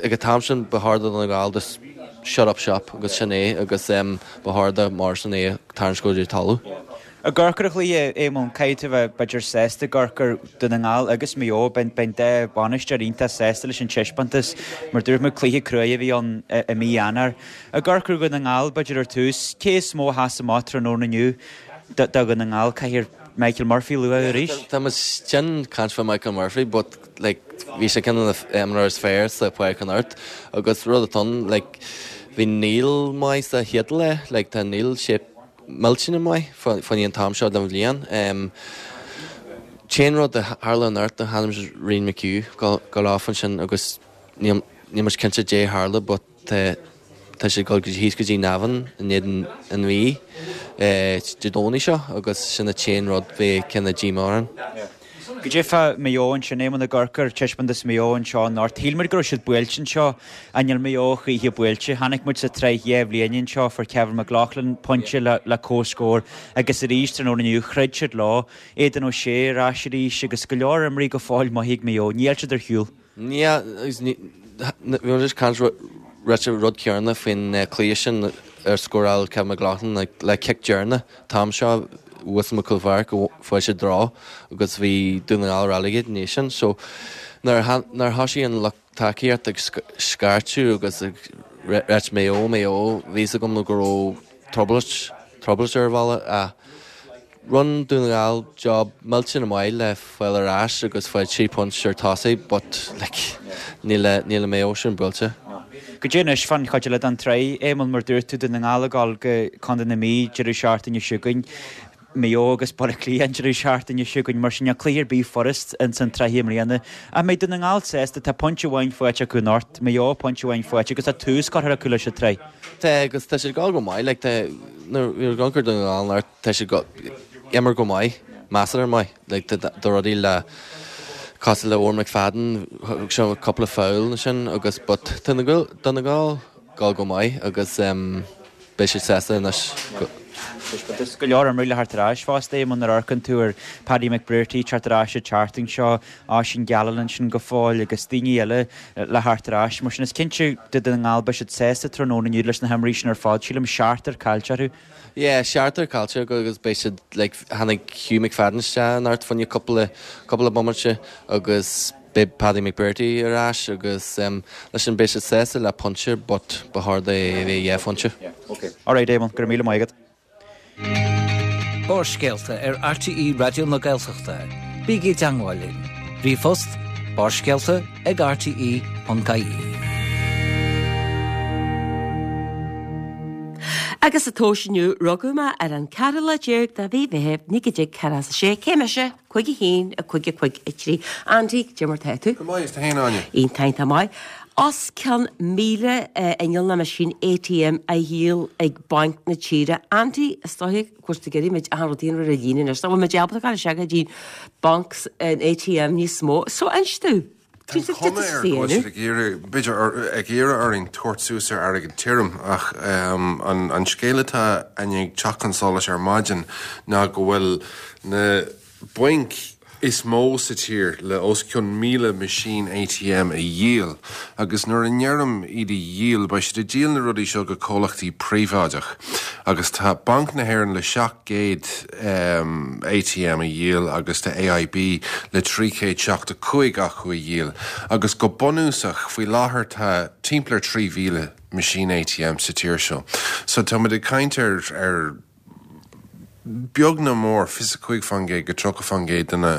ag an t-am sin ba chóir do Dhún na Gall just shut up shop agus sin é agus ba chóir do Morrison é a tharraingt go dtí an talamh. Ag amharc ar an chluiche, Éamonn, caithfidh tú a bheith b'fhéidir sásta ag amharc ar Dhún na nGall agus Maigh Eo, beidh an dá bhainisteoir iontach sásta leis an taispeántas. Mar dúirt muid, cluiche cruaidh a bhí ann i mí Eanáir. Ag amharc ar Dhún na nGall, b'fhéidir ar tús, cé is mó a sheas amach tráthnóna inniu do Dhún na Ngall? Caithfear Michael Murphy a lua arís. Tá muid tinn caint fá Michael Murphy but like bhí sé ceann de na imreoirí is fearr sa pháirc anocht agus rud atá ann like bhí Neil maith sa chéad leath like tá Neil sé millteanach maith faoin an t-am seo den bhliain. Um, T-aon rud a tharla anocht ná chonaic muid Rian McHugh go off ansin agus níl muid cinnte dé tharla but tá Tá sé ag dul thíos go dtí Navan in éadan an Mhí Dé Domhnaigh seo agus sin an t-aon rud bheidh cineál díomá orainn. Goidé fá Maigh Eo ansin, Éamonn ag amharc ar taispeántas Mhaigh Eo anseo anocht. Shíl muid go raibh siad buailte anseo ach níl Maigh Eo choíche buailte. Chonaic muid sa tsraith dhá bhliain anseo, fuair Kevin McLoughlin pointe le comhscór agus arís tráthnóna inniu throid siad leo. Aidan O'Shea ar ais arís agus go leor imreoirí go fóill maith ag Maigh Eo. Níl siad ar shiúl. Yeah, agus ní, bhí muid just caint ráite rud céanna faoin cluiche sin ar scóráil Kevin McLoughlin le cic deireanach t-am seo thuas i gCúl Pháirc go fuair sé draw agus bhí Dún na nGall relegated i ndiaidh sin. So nuair nuair thosaigh an lucht tacaíocht ag scairteadh agus ag ráit Maigh Eo, Maigh Eo, bhí fhios agam go raibh trioblóid, trioblóid ar bhealach ach Rinne Dún na Gall job millteanach maith le fáil ar ais agus fáil trí phointe ar tosaigh but like níl níl an Maigh Eo sin buailte. Goidé anois fán chuid eile den tsraith, Éamonn, mar dúirt tú, Dún na nGall ag dul go Contae na Mí deireadh seachtaine seo chugainn, Maigh Eo agus Baile Átha Cliath an deireadh seachtaine seo chugainn, mar sin níl cluiche ar bith furast ins an tsraith i mbliana. Ach mbeidh Dún na nGall sásta, tá pointe amháin faighte acu anocht, Maigh Eo pointe amháin faighte agus tá tús curtha acu leis an tsraith. Tá agus tá siad ag dul go maith, like tá nuair a amharc ar Dún na nGall anocht, tá siad ag imirt go maith, measartha maith, like tá rudaí le cosúil le Odhrán McFadden, thug sé cúpla foul ansin agus but tá na Dún na nGall ag dul go maith agus beidh siad sásta anois go. Is go leor imreoirí le theacht ar ais fosta, Éamonn, nuair a amharcann tú ar Paddy McBrearty teacht ar ais an tseachtain seo, Oisín Gallen ansin go fóill agus daoine eile le theacht ar ais. Mar sin is cinnte do Dhún na nGall beidh siad sásta tráthnóna inniu leis na himreoirí sin ar fad. Sílim seachtar caillte orthu. Yeah, seachtar caillte acu agus beidh siad like tháinig Hugh McFadden isteach anocht fá choinne cúpla cúpla bomaite agus beidh Paddy McBrearty ar ais agus um, leis sin beidh siad sásta le pointe but ba chóir dó a bheith dhá phointe. Yeah, okay. All right, Éamonn, go raibh míle maith agat. Barrscéalta ar RTÉ Raidió na Gaeltachta. Bígí i dteagmháil linn. Ríomhphost barrscéalta ag rte ponc ie. Agus sa tomhas inniu, rugadh mé ar an ceathrú lá déag de mhí Mheithimh naoi déag ceathracha a sé. Cé mise? Cúig a haon, a cúig a cúig a trí. Andy, cad é mar tá tú? Go maith, is tú féin Áine? Iontach, iontach maith. Os cionn míle inneall nó meaisín ATM á dhíol ag banc na tíre. Andy, is dóiche, of course, go gcuirfidh muid achan rud ar an líne anois. Nach bhfuil muid ábalta dul isteach go dtí banc an ATM níos mó. So, inis domh. Tá cuma air go bhfuil siad ag iarraidh, b'fhéidir, ag iarraidh orainn tabhairt suas ar airgead tirim ach an an scéal atá i ndiaidh teacht chun solais ar maidin ná go bhfuil na bainc is mó sa tír le os cionn míle meaisín A T M a dhíol. Agus nuair a ndeirim iad a dhíol, beidh siad ag díol na rudaí seo go comhlachtaí príobháideach. Agus tá Banc na hÉireann le seacht gcéad A T M a dhíol agus tá A I B le trí chéad seachtó cúig acu a dhíol. Agus go bunúsach, faoi láthair tá timpeall ar trí mhíle meaisín A T M sa tír seo. So táimid ag caint ar ar beag nó mór fiche cúig faoin gcéad go tríocha faoin gcéad de na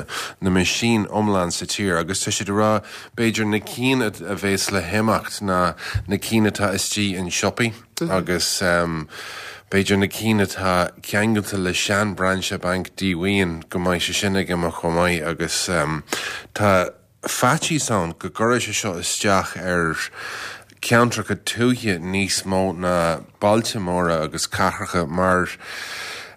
na meaisín iomlán sa tír agus tá siad ag rá b'fhéidir na cinn a bheas le himeacht ná na cinn atá istigh in siopaí agus um, b'fhéidir na cinn atá ceangailte le sean brainse banc díomhaoin, go mbeidh sé sin ag imeacht chomh maith. Agus um, tá faitíos ann go gcuirfidh sé seo isteach ar ceantracha tuaithe níos mó ná bailte móra agus cathracha, mar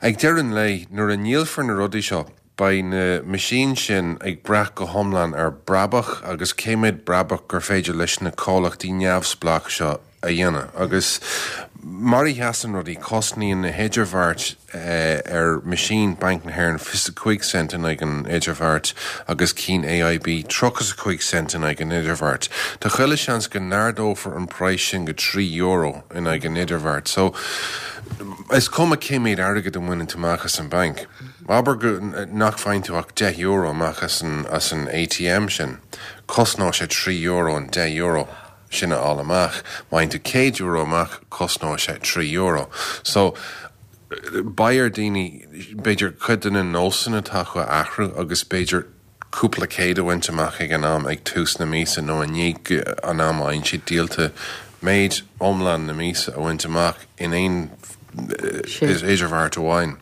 ag deireadh an lae, nuair a ndíolfar na rudaí seo, beidh na meaisín sin ag brath go hiomlán ar brabach agus cé méid brabach gur féidir leis na comhlachtaí neamhspleách seo a dhéanamh. Agus mar a sheasann rudaí, cosnaíonn na hidirbheart eh, ar meaisín Banc na hÉireann fiche cúig cent in aghaidh an idirbheart agus cinn A I B tríocha cúig cent in aghaidh an idirbheart. Tá chuile seans go n-ardófar an praghas sin go trí euro in aghaidh an idirbheart. So is cuma cé méid airgead a bhaineann tú amach as an banc. Abair go nach bhfaigheann tú ach deich euro amach as an, as an A T M sin. Cosnóidh sé trí euro an deich euro sin a fháil amach. Má fhaigheann tú céad euro amach, cosnóidh sé trí euro. So beidh ar daoine b'fhéidir cuid de na nósanna atá acu a athrú agus b'fhéidir cúpla céad a bhaint amach ag an am ag tús na míosa nó i ndiaidh an am a fhaigheann siad díolta, méid iomlán na míosa a bhaint amach in aon is idirbheart amháin.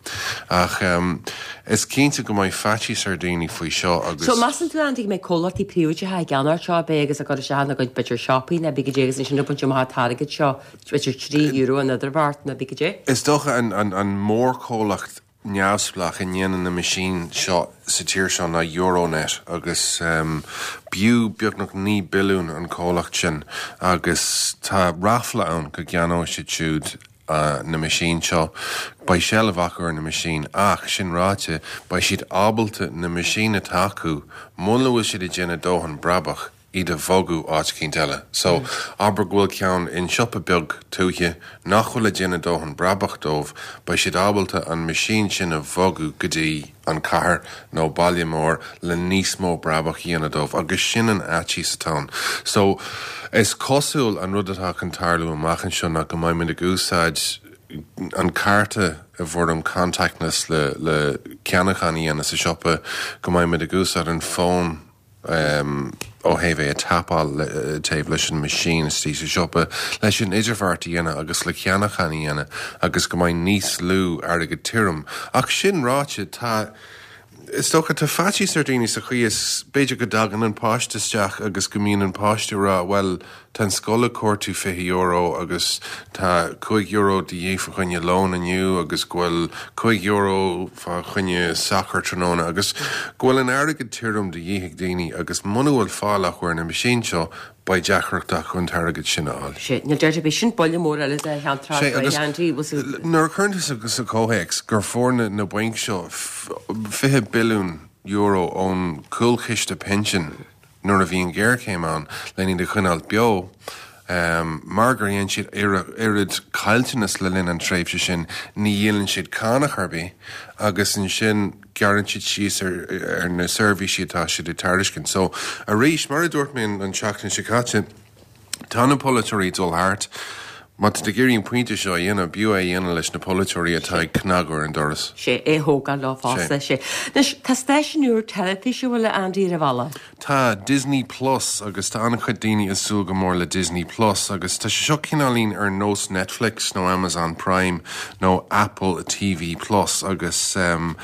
Ach um, is cinnte go mbeidh faitíos ar daoine faoi seo agus So measann tú, Andy, go mbeidh comhlachtaí príobháideacha ag ceannach seo be agus a gcur isteach ina gcuid b'fhéidir siopaí nó bí agus ansin ag baint amach an t-airgead seo, b'fhéidir trí euro an idirbheart nó bí go dé? Is dócha an, an, an mórchomhlacht neamhspleách a ndéanann na meaisín seo sa tír seo ná Euronet agus um, b'fhiú beagnach naoi billiún an comhlacht sin agus tá ráfla ann go gceannóidh siad siúd uh, na meaisín seo. Beidh seilbh acu ar na meaisín, ach sin ráite, beidh siad ábalta na meaisín atá acu, muna bhfuil siad ag déanamh dóthain brabach, iad a bhogadh áit éicint eile. So mm. abair go bhfuil ceann in siopa beag tuaithe nach bhfuil ag déanamh dóthain brabach dóibh, beidh siad ábalta an meaisín sin a bhogadh go dtí an cathair nó baile mór le níos mó brabach a dhéanamh dóibh, agus sin an fhaitíos atá ann. So is cosúil an rud atá chun tarlú amach anseo ná go mbeidh ag úsáid an cárta i bhfoirm contactless le le ceannachán a dhéanamh sa siopa, go mbeidh ag úsáid an fón um, ó thaobh é a tapáil taobh leis an machine istigh sa siopa leis an idirbheart a dhéanamh agus le ceannachán a dhéanamh agus go mbeidh níos lú airgead tirim. Ach sin ráite, tá is dócha tá faitíos ar daoine sa chaoi is b'fhéidir go dtagann an páiste isteach agus go mbíonn an páiste rá, "Well, tá an scoil ag cuartú fiche euro agus tá cúig euro de dhíth fá choinne lón inniu agus go bhfuil cúig euro fá choinne sacar tráthnóna," agus go bhfuil an airgead tirim de dhíth ag daoine agus muna bhfuil fáil acu ar na meaisín seo, beidh deacracht acu an t-airgead sin a fháil. Sé, níl deir bí sin buille mór eile de cheantar Sé, agus Andy. Nuair a chuireann tú sa comhthéacs gur fuair na, na bainc seo fiche billiún euro ón cúlchiste pinsin nuair a bhí an géarchéim ann le iad a choinneáil beo, um, mar gur dhein siad oiread caillteanas le linn an tréimhse sin, ní dhíolann siad cánach ar bith agus ansin gearrann siad síos ar, ar na seirbhísí atá siad ag tairiscint. So arís, mar a dúirt mé an tseachtain seo caite, tá na polaiteoirí dul thart. Má tá ag iarraidh an pointe seo a dhéanamh, b'fhiú é a dhéanamh leis na polaiteoirí atá ag cnagadh ar an doras. Sé é thógáil lá fosta sé. Anois tá stáisiún úr teilifíse bhfuil Andy ar a bhealach. Tá, Disney Plus, agus tá an-chuid daoine ag súil go mór le Disney Plus agus tá sé seo cineáilín ar nós Netflix nó Amazon Prime nó Apple T V Plus agus um,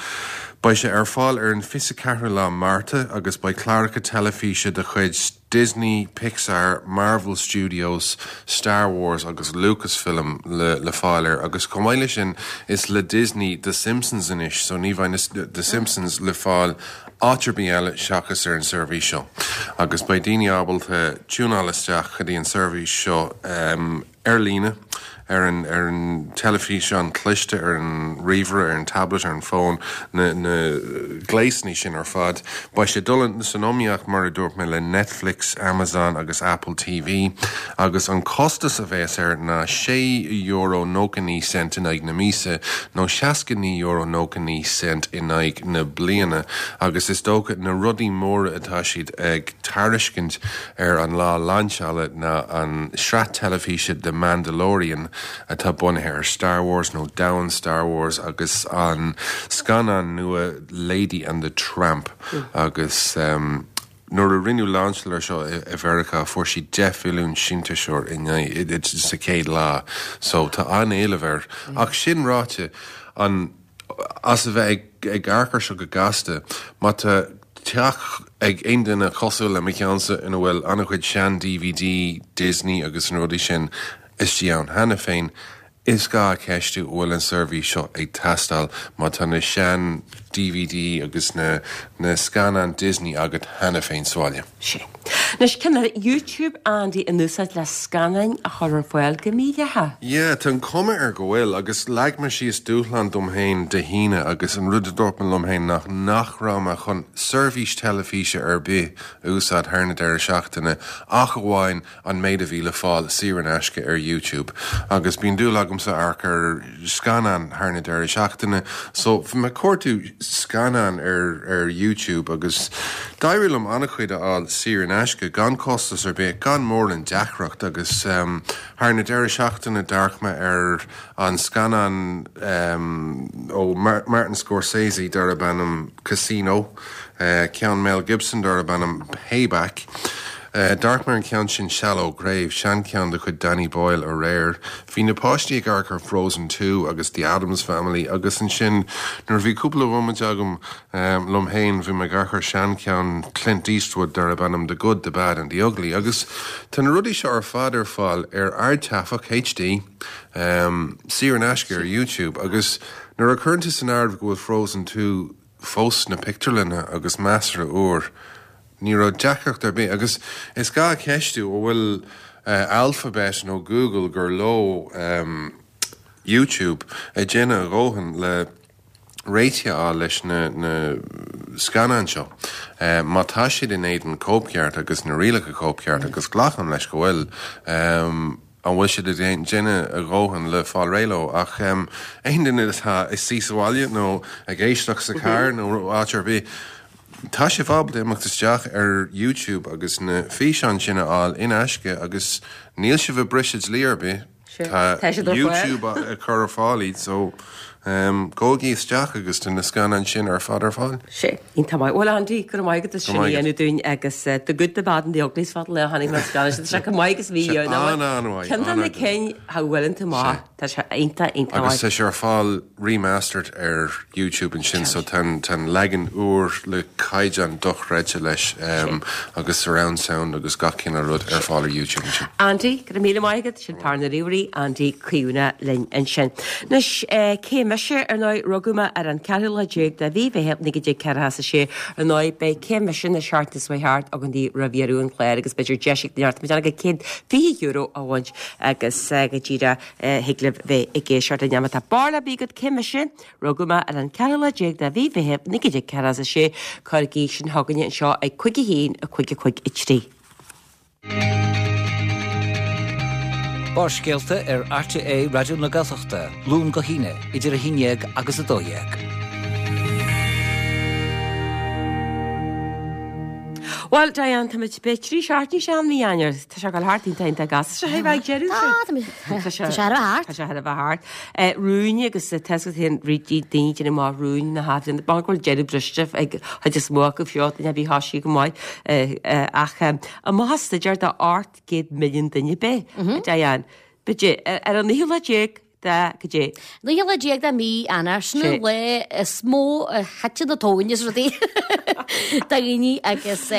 beidh sé ar fáil ar an fiche ceathrú lá Márta agus beidh cláracha teilifíse de chuid Disney, Pixar, Marvel Studios, Star Wars agus Lucasfilm le, le fáil air agus chomh maith leis sin is le Disney The Simpsons anois, so ní bheidh The Simpsons le fáil áit ar bith eile seachas ar an seirbhís seo. Agus beidh daoine ábalta tiúnáil isteach go dtí an seirbhís seo um, ar líne ar an ar an teilifíseán cliste ar an ríomhaire ar an tablet ar an bhfón na na gléasanna sin ar fad. Beidh sé dul san iomaíocht mar a dúirt mé le Netflix, Amazon agus Apple TV agus an costas a bheas air ná sé euro nócha naoi cent in aghaidh na míosa nó seasca naoi euro nócha naoi cent in aghaidh na bliana agus is dócha na rudaí móra atá siad ag tairiscint ar an lá lainseála ná an sraith teilifíse The Mandalorian atá bunaithe ar Star Wars nó domhan Star Wars agus an scannán nua Lady and the Tramp mm. agus um, nuair a rinneadh lainseáil air seo i Mheiriceá fuair sí deich milliún síntiúsóir in sa chéad lá, so tá an-éileamh air. Mm. Ach sin ráite an as a bheith ag ag amharc air seo go gasta má tá teach ag aon duine cosúil le mo cheannsa ina bhfuil an-chuid sean DVD Disney agus an rudaí sin istigh ann cheana féin is gá ceistiú bhfuil an seirbhís seo ag teastáil má tá na sean DVD agus na na scannáin Disney agat cheana féin sa bhaile. Sé. Anois cén YouTube Andy in úsáid le scannáin a chur ar fáil go mídhleathach. Yeah, tá an cuma air go bhfuil agus leag mé síos dúshlán dom féin Dé hAoine agus an rud a dúirt mé liom féin ná nach raibh mé chun seirbhís teilifíse ar bith a úsáid thar na deireadh seachtaine ach amháin an méid a bhí le fáil saor in aisce ar YouTube. Agus bíonn dúil agamsa amharc ar scannán thar na deireadh seachtaine, so bhí mé ag cuartú scannán ar ar YouTube agus d'éirigh liom an-chuid a fháil saor in aisce gan costas ar bith gan mórán deacracht agus um, thar na deireadh seachtaine d'amharc mé ar an scannán um, ó Mar Martin Scorsese darb ainm Casino, uh, ceann Mel Gibson darb ainm Payback. Uh, D'amharc mé ar an ceann sin Shallow Grave, seancheann de chuid Danny Boyle aréir. Bhí na páistí ag amharc ar Frozen Two agus The Addams Family agus ansin nuair bhí cúpla bomaite agam um, liom féin bhí mé ag amharc ar seancheann Clint Eastwood darb ainm The Good, The Bad and The Ugly agus tá na rudaí seo ar fad ar fáil ar ardtaifeach HD um, saor in aisce ar YouTube agus nuair a chuireann tú san áireamh go bhfuil Frozen Two fós sna pictiúrlanna agus measartha úr. Ní raibh deacracht ar bith agus is gá ceistiú an bhfuil uh, Alphabet nó Google gur leo um, YouTube ag déanamh a ndóthain le réiteach a fháil leis na, na scannáin seo. Uh, má tá siad in éadan cóipcheart agus na rialacha cóipcheart agus glacaim leis go bhfuil um, an bhfuil siad ag déanamh a ndóthain le fáil réidh leo ach um, aon duine atá ina suí sa bhaile nó ag éisteacht sa car nó áit ar bith. Tá sibh ábalta imeacht isteach ar YouTube agus na físeáin sin a fháil in aisce agus níl sibh ag briseadh dlí ar bith. Tá Tá siad ar fáil. YouTube ag cur ar fáil iad so um, gabhaigí isteach agus tá na scannáin sin ar fad ar fáil. Sé, iontach maith. Bhuel Andy, go raibh maith agat sin Go maith dhéanamh dúinn agus uh, The Good, The Bad and The Ugly is fada le tháinig mar scannán sin. Tá sé go maith agus bhí Sé an-an-mhaith, Ceann de na an-an-mhaith. cinn a bhfuil tú maith. Tá sé iontach iontach Agus maith. tá sé ar fáil remastered ar YouTube ansin so tá tá leagan úr le caighdeán dochreidte leis um, agus surround sound agus gach cineál rud ar fáil ar YouTube ansin. Andy, go raibh míle maith agat sin fear na ríomhairí Andy Caoine linn ansin. Anois eh, cé mise ar ndóigh rugadh mé ar an ceathrú lá déag de mhí Mheithimh naoi déag ceathracha sé ar ndóigh beidh cé mise na seachtaine seo thart againn di roimh dheireadh an chláir agus b'fhéidir deis ag neart go céad fiche euro a bhaint agus eh, go díreach eh, thig libh bheith ag éisteacht linn má tá barúil ar bith agat cé mise rugadh mé ar an ceathrú lá déag de mhí Mheithimh naoi déag ceathracha sé cuirigí sin chugainne anseo ag cúig a haon a cúig a cúig a trí. Barrscéalta ar RTÉ Raidió na Gaeltachta, Luan go hAoine, idir a haon déag agus a dó dhéag. Well, Diane, tá muid be trí seachtaine sean mí Eanáir Tá sé gal thart iontach gas sé bheith deireadh Tá sé thar thart. Tá sé thar a bheith thart. Rúin agus tescahéon rití daoine sin má rúin na hafin ban bhfuil deireadh briste ag chuid is mó acu fiú duine bhí thosaigh go maith ach amach staidéar do ocht gcéad milliún duine be Diane. B'fhéidir ar an naoú lá déag de goidé. Naoú lá déag de mí Eanáir, sin an lá is mó a thiteann na tóin is rudaí do dhaoine agus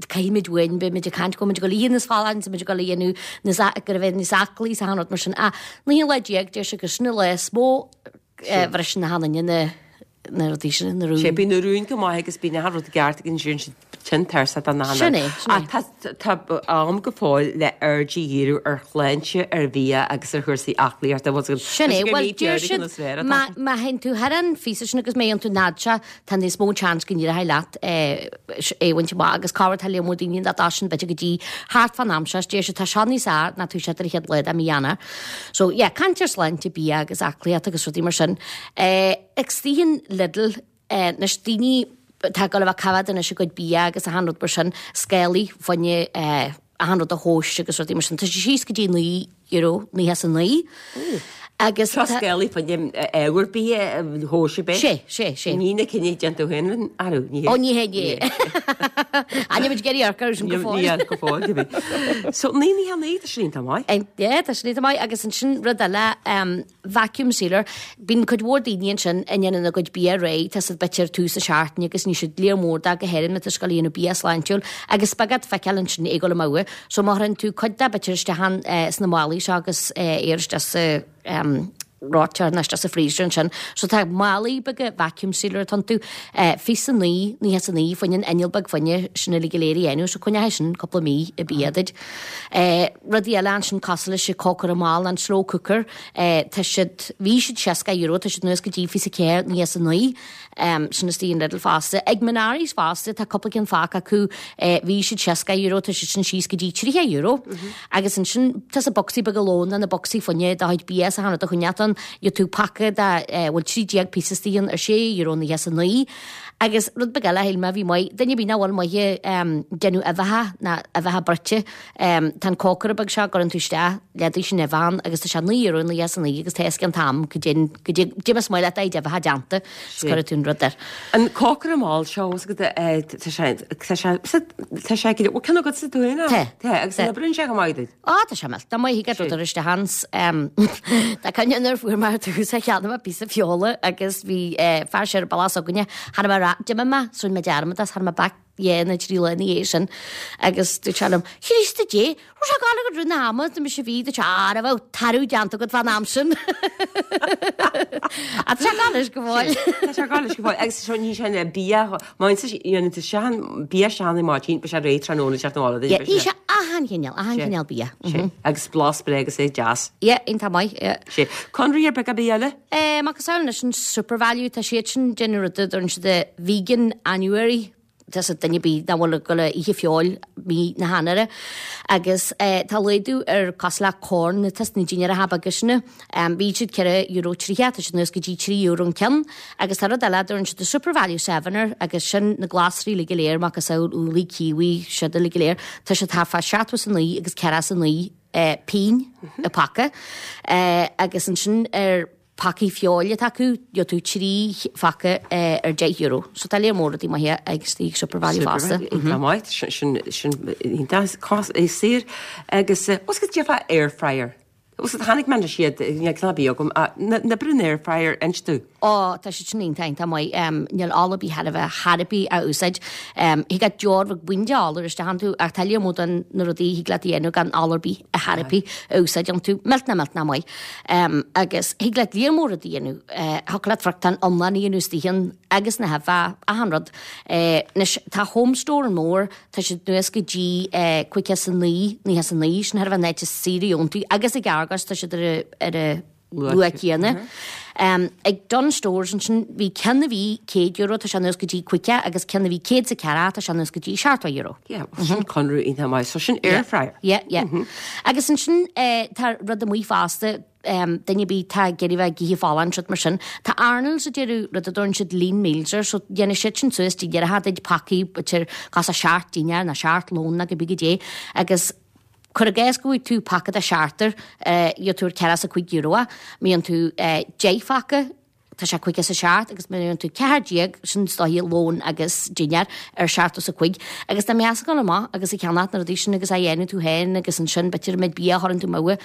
caithfimid uainn, beimid ag caint go bhfuil muid ag dul a ithe níos folláine, muid ag dul a dhéanamh níos go raibh níos aclaí is achan rud mar sin. Ach naoú lá déag, deir sé gur sin an lá is mó a bhriseann achan duine na na rudaí sin, na rúin. Sé, bíonn na rúin go maith agus bíonn achan rud i gceart agus ansin siad tinn tuirseach den achan Sin é, sin é. Ach tá, tá am go fóill le aird a dhíriú ar shláinte, ar bhia agus ar chúrsaí aclaíochta. Bhfuil Sin é, bhuel deir siad má má théann tú thar an phíosa sin agus má dhéanann tú an fhad seo, tá níos mó chance go n-éireoidh leat é a bhaint amach agus corruair tá lear mór daoine nach dtosaíonn b'fhéidir go dtí thart fán am seo, is deir siad tá seo níos fearr ná toiseacht ar an chéad lá de mhí Eanáir. So yeah, caint ar shláinte, bia agus aclaíocht agus rudaí mar sin. Eh, ag istigh in Lidl, eh, anois daoine atá ag dul a bheith ag coimhéad anois a gcuid bia agus achan rud mar sin, scálaí fá choinne eh, achan rud a thomhas agus rudaí mar sin. Tá sé síos go dtí naoi euro, naocha is a naoi. Agus Seo scálaí fá choinne ábhar bia a thomhas ab é? Sé, sé, sé. Ní na cinn a déanann tú féin, arú, ní hé. Ó, ní hé, ní hé. Ní muid ag iarraidh amharc air sin go fóill. Ní go fóill, go bhí. So, naoi naocha a naoi, tá sin iontach maith. Yeah, tá sin iontach maith agus ansin rud eile, vacuum sealer, bíonn cuid mhór daoine ansin a ndéanann a gcuid bia réidh, tá siad b'fhéidir tús na seachtaine agus níl siad lear mór de go háirithe má tá siad ag dul a dhéanamh bia sláintiúil agus beag ort feiceáil ansin é ag dul amú. So má chuireann tú cuid de b'fhéidir isteach an sna málaí seo agus é isteach sa reoiteoir nó isteach sa freezer ansin. So tá málaí beaga vacuum sealer atá iontu, fiche a naoi, naocha is a naoi fá choinne an inneall beag fá choinne sin uilig go léir a dhéanamh, so coinneoidh sin cúpla mí an bia duit. Rudaí eile ansin cosúil leis an cócaire mall, an slow cooker, tá siad, bhí siad seasca euro, tá siad anuas go dtí fiche a ceathair, naocha is a naoi, sin istigh in Lidl fosta. Ag Menaris fosta, tá cúpla ceann fágtha acu, bhí siad seasca euro, tá siad sin síos go dtí tríocha euro. Agus ansin tá sa bocsaí beaga lóin, na bocsaí fá choinne do chuid bia is achan rud a choinneáil ann, gheobhaidh tú paca de bhfuil trí déag píosa istigh ann ar sé euro naocha is a naoi. Agus rud beag eile a shíl mé a bhí maith, duine ar bith nach bhfuil maith ag déanamh uibheacha ná uibheacha bruite, tá an cócaire beag seo a gcuireann tú isteach leath sin uibh ann agus tá sé naoi euro naocha is a naoi agus tá a fhios cén t-am go dtéann go dté dé más maith leat é d'uibheacha déanta is cuirfidh tú an rud air. An cócaire mall seo is go tá sé tá sé tá sé go bhfuil ceann agatsa tú féin? Tá. Tá agus an oibríonn sé go maith duit? Á tá sé millteach maith thig leat rud a chur isteach ann Tá cuimhne nuair fuair mé ar dtús a cheannaigh mé píosa feola agus bhí fear siar an bealach s'againne cha raibh mé rá d'imigh mé so rinne mé dearmad as cha raibh mé back dhá nó trí lá ina dhiaidh sin agus dúirt sé liom Chríost a Dé raibh sé ag gabháil agat roimh na hama do mise bhí dúirt sé á raibh tarbh déanta agat fán am sin Tá sé ag gabháil leis go fóill. Tá sé ag gabháil leis go fóill agus seo ní sin le bia má dhéanann tú sean bia sean i maidin beidh sé réidh tráthnóna teacht na bhaile Yeah, ní sé achan chineál, achan chineál bia. Sé, agus blas breá agus é deas. Yeah, iontach maith, yeah. Sé, conradh ar bith ar bith eile? Eh, macasamhail anois an Supervalu, tá siad sin déanamh rud a dtugann siad a Veganuary, tá sa duine ar bith nach bhfuil ag dul a ithe feoil mí na hEanáire agus eh, tá laghdú ar cosúil le corn na tus na dinnéaracha beaga sin. Um, bhí siad ceithre euro tríocha, tá siad anuas go dtí trí euro an ceann agus tá rud eile a dtugann siad a Supervalu Sevener agus sin na glasraí uilig go léir, macasamhail úllaí, kiwi, siad uilig go léir, tá siad thart fá seachtó is a naoi agus ceathracha is a naoi eh, pingin an paca eh, agus ansin ar pacaí feoil atá acu, gheobhaidh tú trí phaca eh, ar deich euro. So tá léar mór rudaí maithe ag istigh Supervalu fosta. Tá maith, sin sin iontach cos é saor agus eh, os go dtéarfá air fryer. Os tháinig mé leis iad níl cnab agam na na brún air fryer inis domh. Ó, tá siad sin iontach iontach maith. Um, níl ola ar bith thar a bheith thar a bith a úsáid. Um, thig leat deoir bheag buinn de ola isteach iontu ach tá lear mór de na rudaí thig leat a dhéanamh gan ola ar bith a thar a bith a úsáid iontu. Millteanach millteanach maith. Um, agus thig leat lear mór rudaí a dhéanamh. Uh, thiocfadh leat friochtán iomlán a dhéanamh istigh ann agus na huibheacha, achan rud. Uh, anois tá Home Store an mór, tá siad anuas go dtí uh, cúig is a naoi, naocha is a naoi, sin thar a bheith an áit is saoire iontu agus ag Argos tá siad ar a, ar a luach céanna. Um, ag Dunnes Stores ansin bhí ceann a bhí céad euro tá sé anuas go dtí caoga agus ceann a bhí céad is a ceathracha tá sé anuas go dtí seachtó euro. Yeah, sin conradh iontach maith, so sin air fryer. Yeah, yeah. Agus ansin eh, tá rud amuigh fosta um, duine ar bith atá ag iarraidh bheith ag ithe folláin rud mar sin. Tá Arnold's ag déanamh rud a dtugann siad lean meals air, so dhéanann siad sin suas dinnéaracha duit pacaí b'fhéidir cosúil seacht dinnéar nó seacht lón nó cibé goidé agus cuir i gcás go bhfaighidh tú paca de seachtar, eh, gheobhaidh tú ar ceathracha is a cúig euro, má fhaigheann tú eh, deich phaca, tá sé caoga is a seacht agus má dhéanann tú ceathair déag sin is dóiche lón agus dinnéar ar seachtó is a cúig agus dá mbeifeá ag dul amach agus ag ceannacht na rudaí sin agus á dhéanamh tú féin agus ansin b'fhéidir an méid bia a chuireann tú amú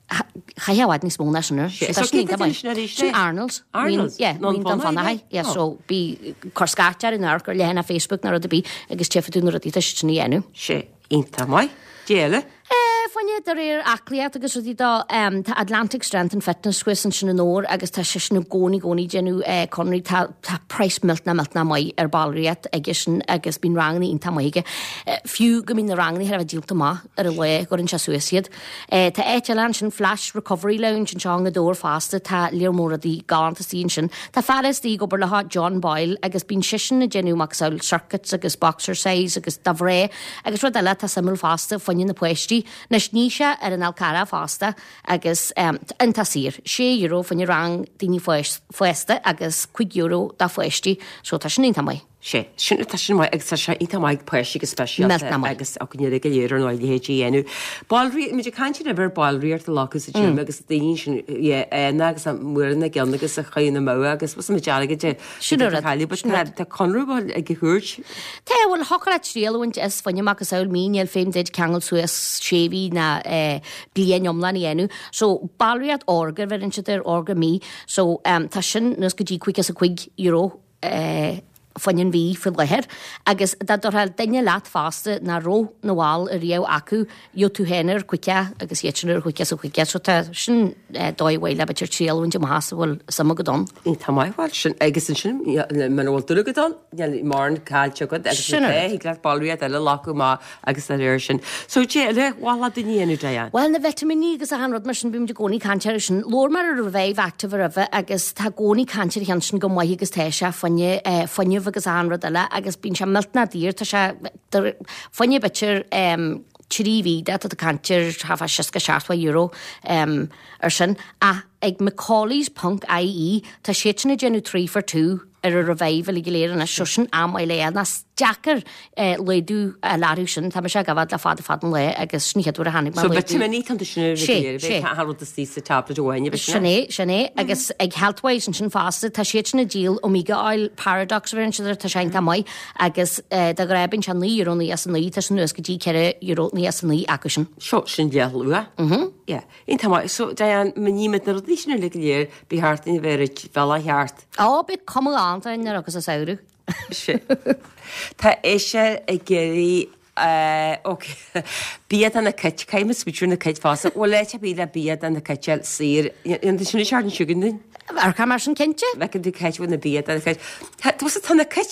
chaithfeá i bhfad níos mó ná sin air. So tá sin iontach maith. Sin Arnold's. Arnold's? Yeah, Nó an Mín Dún Fionnachaidh? Fionnachaidh. Yeah, Oh. so bí cur scairt ar an amharc ar leathanach Facebook nó rud ar bith agus tchífidh tú na rudaí tá siad sin a dhéanamh. Sé iontach maith. Cad eile? Eh, fá choinne de réir aclaíocht agus rudaí dó, em, tá Atlantic Strength and Fitness thuas ansin i nDobhar agus tá seisean i gcónaí gcónaí ag déanamh eh, conraí, tá, tá praghas millteanach millteanach maith ar ballraíocht aige sin agus bíonn ranganna iontach maith aige. Eh, fiú go mbíonn na ranganna thar a bheith díolta amach ar an lá a gcuireann sé suas iad. Eh, tá áit eile ansin, Flash Recovery Lounge anseo i nGaoth Dobhair fosta, tá lear mór rudaí galánta istigh ansin. Tá fear istigh ag obair leo, John Boyle, agus bíonn seisean ag déanamh macasamhail circuits agus boxercise agus dá bhreá agus rud eile atá suimiúil fosta, fá choinne na páistí. Anois níl sé ar an Fhál Carrach fosta agus um, iontach saor, sé euro fá choinne rang daoine fásta agus cúig euro do pháistí, so tá sin iontach maith. Sé, sin tá sin maith agus tá sé iontach maith páistí go speisialta Millteanach maith. agus againne go léir ar ndóigh leithéidí a dhéanamh. Ballraíocht, muid ag caint ar ballraíocht a ghlacadh sa gym agus daoine sin yeah, agus an muir na gceann agus a chaoi na mó agus was muid airgead de Sin an rud, chailleadh, but sin an tá tá conradh ag a thabhairt. Tá bhfuil thiocfadh leat triail a bhaint as fá choinne macasamhail mí níl feidhm duit ceangal suas sé mhí ná eh, bliain iomlán a dhéanamh. So ballraíocht órga bheireann siad ar órga mí, so um, tá sin suas go dtí caoga is a cúig euro eh, fá choinne an mhí faoi láthair, agus dá dtabharfá duine leat fosta nach raibh ina bhall ariamh acu, gheobhaidh tú féin ar caoga agus iad sin ar caoga is a cúig, so tá sin eh, dóigh mhaith le b'fhéidir triail a bhaint amach as a bhfuil suim agat ann. Tá maith bhfuil sin agus ansin muna bhfuil dúil agat ann, níl mórán caillte agat agus Sin an an thig leat ballraíocht eile a ghlacadh amach agus dá réir sin. So cad eile ba mhaith le daoine a dhéanamh Diane. Well na vitimíní agus achan rud mar sin bímid i gcónaí ag caint air sin. Labhair mé ar Revive Active roimhe agus tá i gcónaí caint ar cheann sin go maith agus tá sé fá choinne eh, fuinneamh agus achan rud eile agus bíonn sé millteanach daor tá sé fá choinne b'fhéidir um, trí mhí de tá caint ar thart fá seasca seachtó euro um, ar sin ach ag Macauley's ponc IE tá siad sin ag déanamh three for two ar a Revive uilig go léir anois so sin an-mhaith le ná is deacair eh, laghdú a lárú sin tá sé gabháil le fada fada an lá agus sin an chéad uair a tháinig So vitimíní tá sin Sé, sé. tá rud istigh sa tablet amháin Sin é, sin é, agus ag Healthwise ansin fosta tá siad sin ag díol Omega Oil Paradox bheireann siad air, tá sé iontach maith agus eh, de ghnáth bíonn sé naoi euro naoi as a naoi tá sin suas go dtí ceithre euro naoi as a naoi acu sin. Seo sin leathlua. Mhm. Yeah. Iontach maith. So Diane, má nímid na rudaí sin uilig go léir, bí thart ina bheith bhealach cheart. Á, beidh cuma galánta ar agus a samhradh. Sé. Tá ise ag iarraidh Uh, ok. Bia do na cait caithfidh muid smaoitiú ar na cait fosta. Bhfuil áit ar bith le bia do na cait saor. An sin sean siúgan din? Ar cá mar sin cinnte? Bheith tú cait na bia do na cait. Tá na cait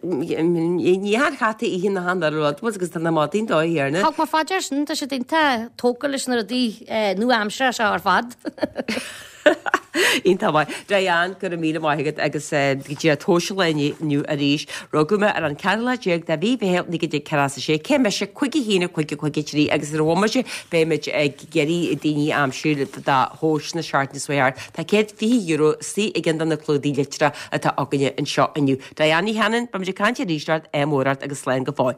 ní han chata ihe na han rud agus tá na maidín dó héarna. Thug mar faidir sin tá sé iontach tógtha leis na rudaí nua-aimseartha seo ar fad. Iontach maith. Diane go raibh míle maith agat agus go dtí tomhais an lae inniu arís. Rugadh mé ar an ceathrú lá déag de mhí Mheithimh naoi déag ceathracha a sé cé mise cúig a haon cúig cúig trí agus ar bhomaite beimid ag iarraidh daoine a aimsiú do thomhas na seachtaine seo thart. Tá céad fiche euro istigh i gceann de na clúdaigh litreach atá againne anseo inniu. Diane Ní Chanainn, beimid ag caint arís ort amárach agus slán go fóill.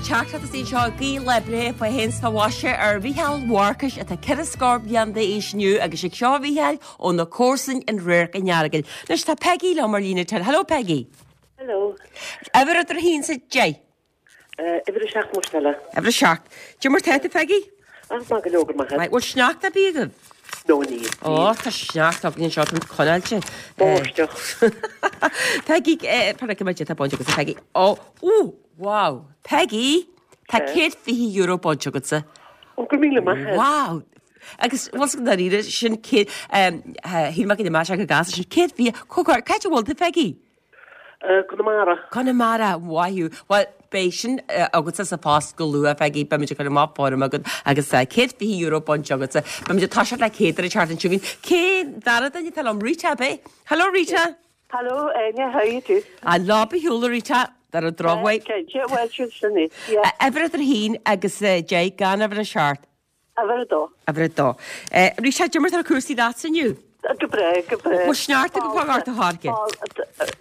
teachtaireacht anseo guí lá breithe fá shéan is fá mhaise ar Mhícheál Mharcais atá ceithre scór bliain d'aois inniu agus ag seo a Mhícheáil ó na comharsain in Radharc an Earagail. Anois tá Peggy liom ar líne tel. Hello Peggy. Hello. Uimhir idir a haon is a deich. Uimhir a seacht más fela. Uimhir a seacht. Cad é mar tá tú Peggy? Ach maith go leor go maith. Maith, bhfuil sneachta ar bith agaibh? No níl. Ó, tá sneachta againn anseo, tá conáilte. Báisteach. Peggy, par go mbeidh tá bainte agatsa Peggy. Ó, ó, wow. Peggy, tá céad fiche euro bainte agatsa. Ó, go míle maith. Wow. Agus bhfuil go dáiríre sin céad, shíl mé go mbeadh sé go gasta sin céad fiche, cá háit a bhfuil tú Peggy? Conamara. Conamara, maith thú. Bhuel, beidh sin agatsa sa phost go luath, Peggy, beimid ag cur amach foirm agat agus céad fiche euro bainte agatsa. Beimid ag toiseacht le céad ar an tseachtain seo chugainn. Cén dara duine atá liom? Rita, ab é? Hello, Rita. Hello, Áine, how are you do? An lá ba shiúl, Rita, dar an drochmhaith. Cinnte, bhuel, sin sin é. Yeah. Uimhir idir a haon agus deich gan uimhir a seacht. Uimhir a dó. Uimhir a dó. Rita, cad é mar atá cúrsaí leatsa inniu? Go breá, go breá. Bhfuil sneachta go fágáil ort a tháirge?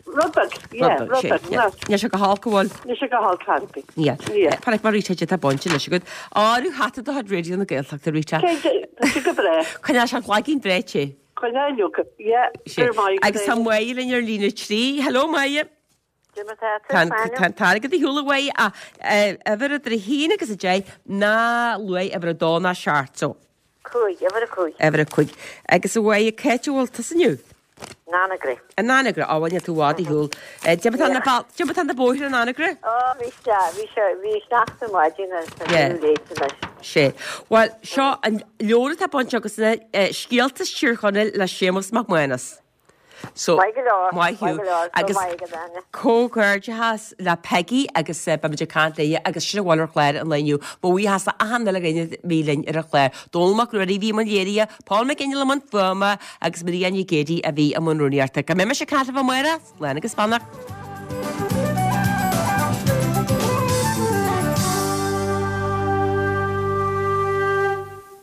Rud beag, yeah, rud beag. Níl sé go holc an bhfuil? Níl sé go holc ar bith. Yeah. Paraic mar Rita tá bainte anois agat. Áiriú hata do chuid Raidió na Gaeltachta, Rita. Cinnte, tá sé go breá. Coinneoidh sé an cloigín breá te. Coinneoidh, Luca. Yeah, go raibh maith agat. Agus tá Máire linn ar líne trí. Hello, Máire. Tá an t-airgead ar shiúl a Mháire ach uimhir idir a haon agus a deich ná luaigh uimhir a dó ná seacht so. Cúig, uimhir a cúig. Uimhir a cúig. Agus a Mháire, cá háit a bhfuil tusa inniu? In Anagaire. In Anagaire, á bhuel níl tú i bhfad ar shiúl. Cad é mar tá na bal, cad é mar tá na bóithre in Anagaire? Ó, bhí sé, bhí sé, bhí sneachta maidin agus tá Yeah. sé léite anois. Sé. Bhuel, seo an leabhar atá bainte agatsa, Scéalta as Tír Chonaill le Séamus Mac Mánais. So, Maith go leor, maith maith thú. go leor, go Agus maith agat, Áine. comhghairdeachas le Peggy agus beimid ag caint léi agus sin a bhfuil ar chlár an lae inniu. Mo bhuíochas le achan uile dhuine a bhí linn ar an chlár. Dónall Mac Ruairí a bhí i mbun léirithe, Paul McGinley i mbun fuaime agus Maria Nic Géadaigh a bhí i mbun rúnaíochta. Go mbeidh mise ag caint libh amárach, slán agus beannacht.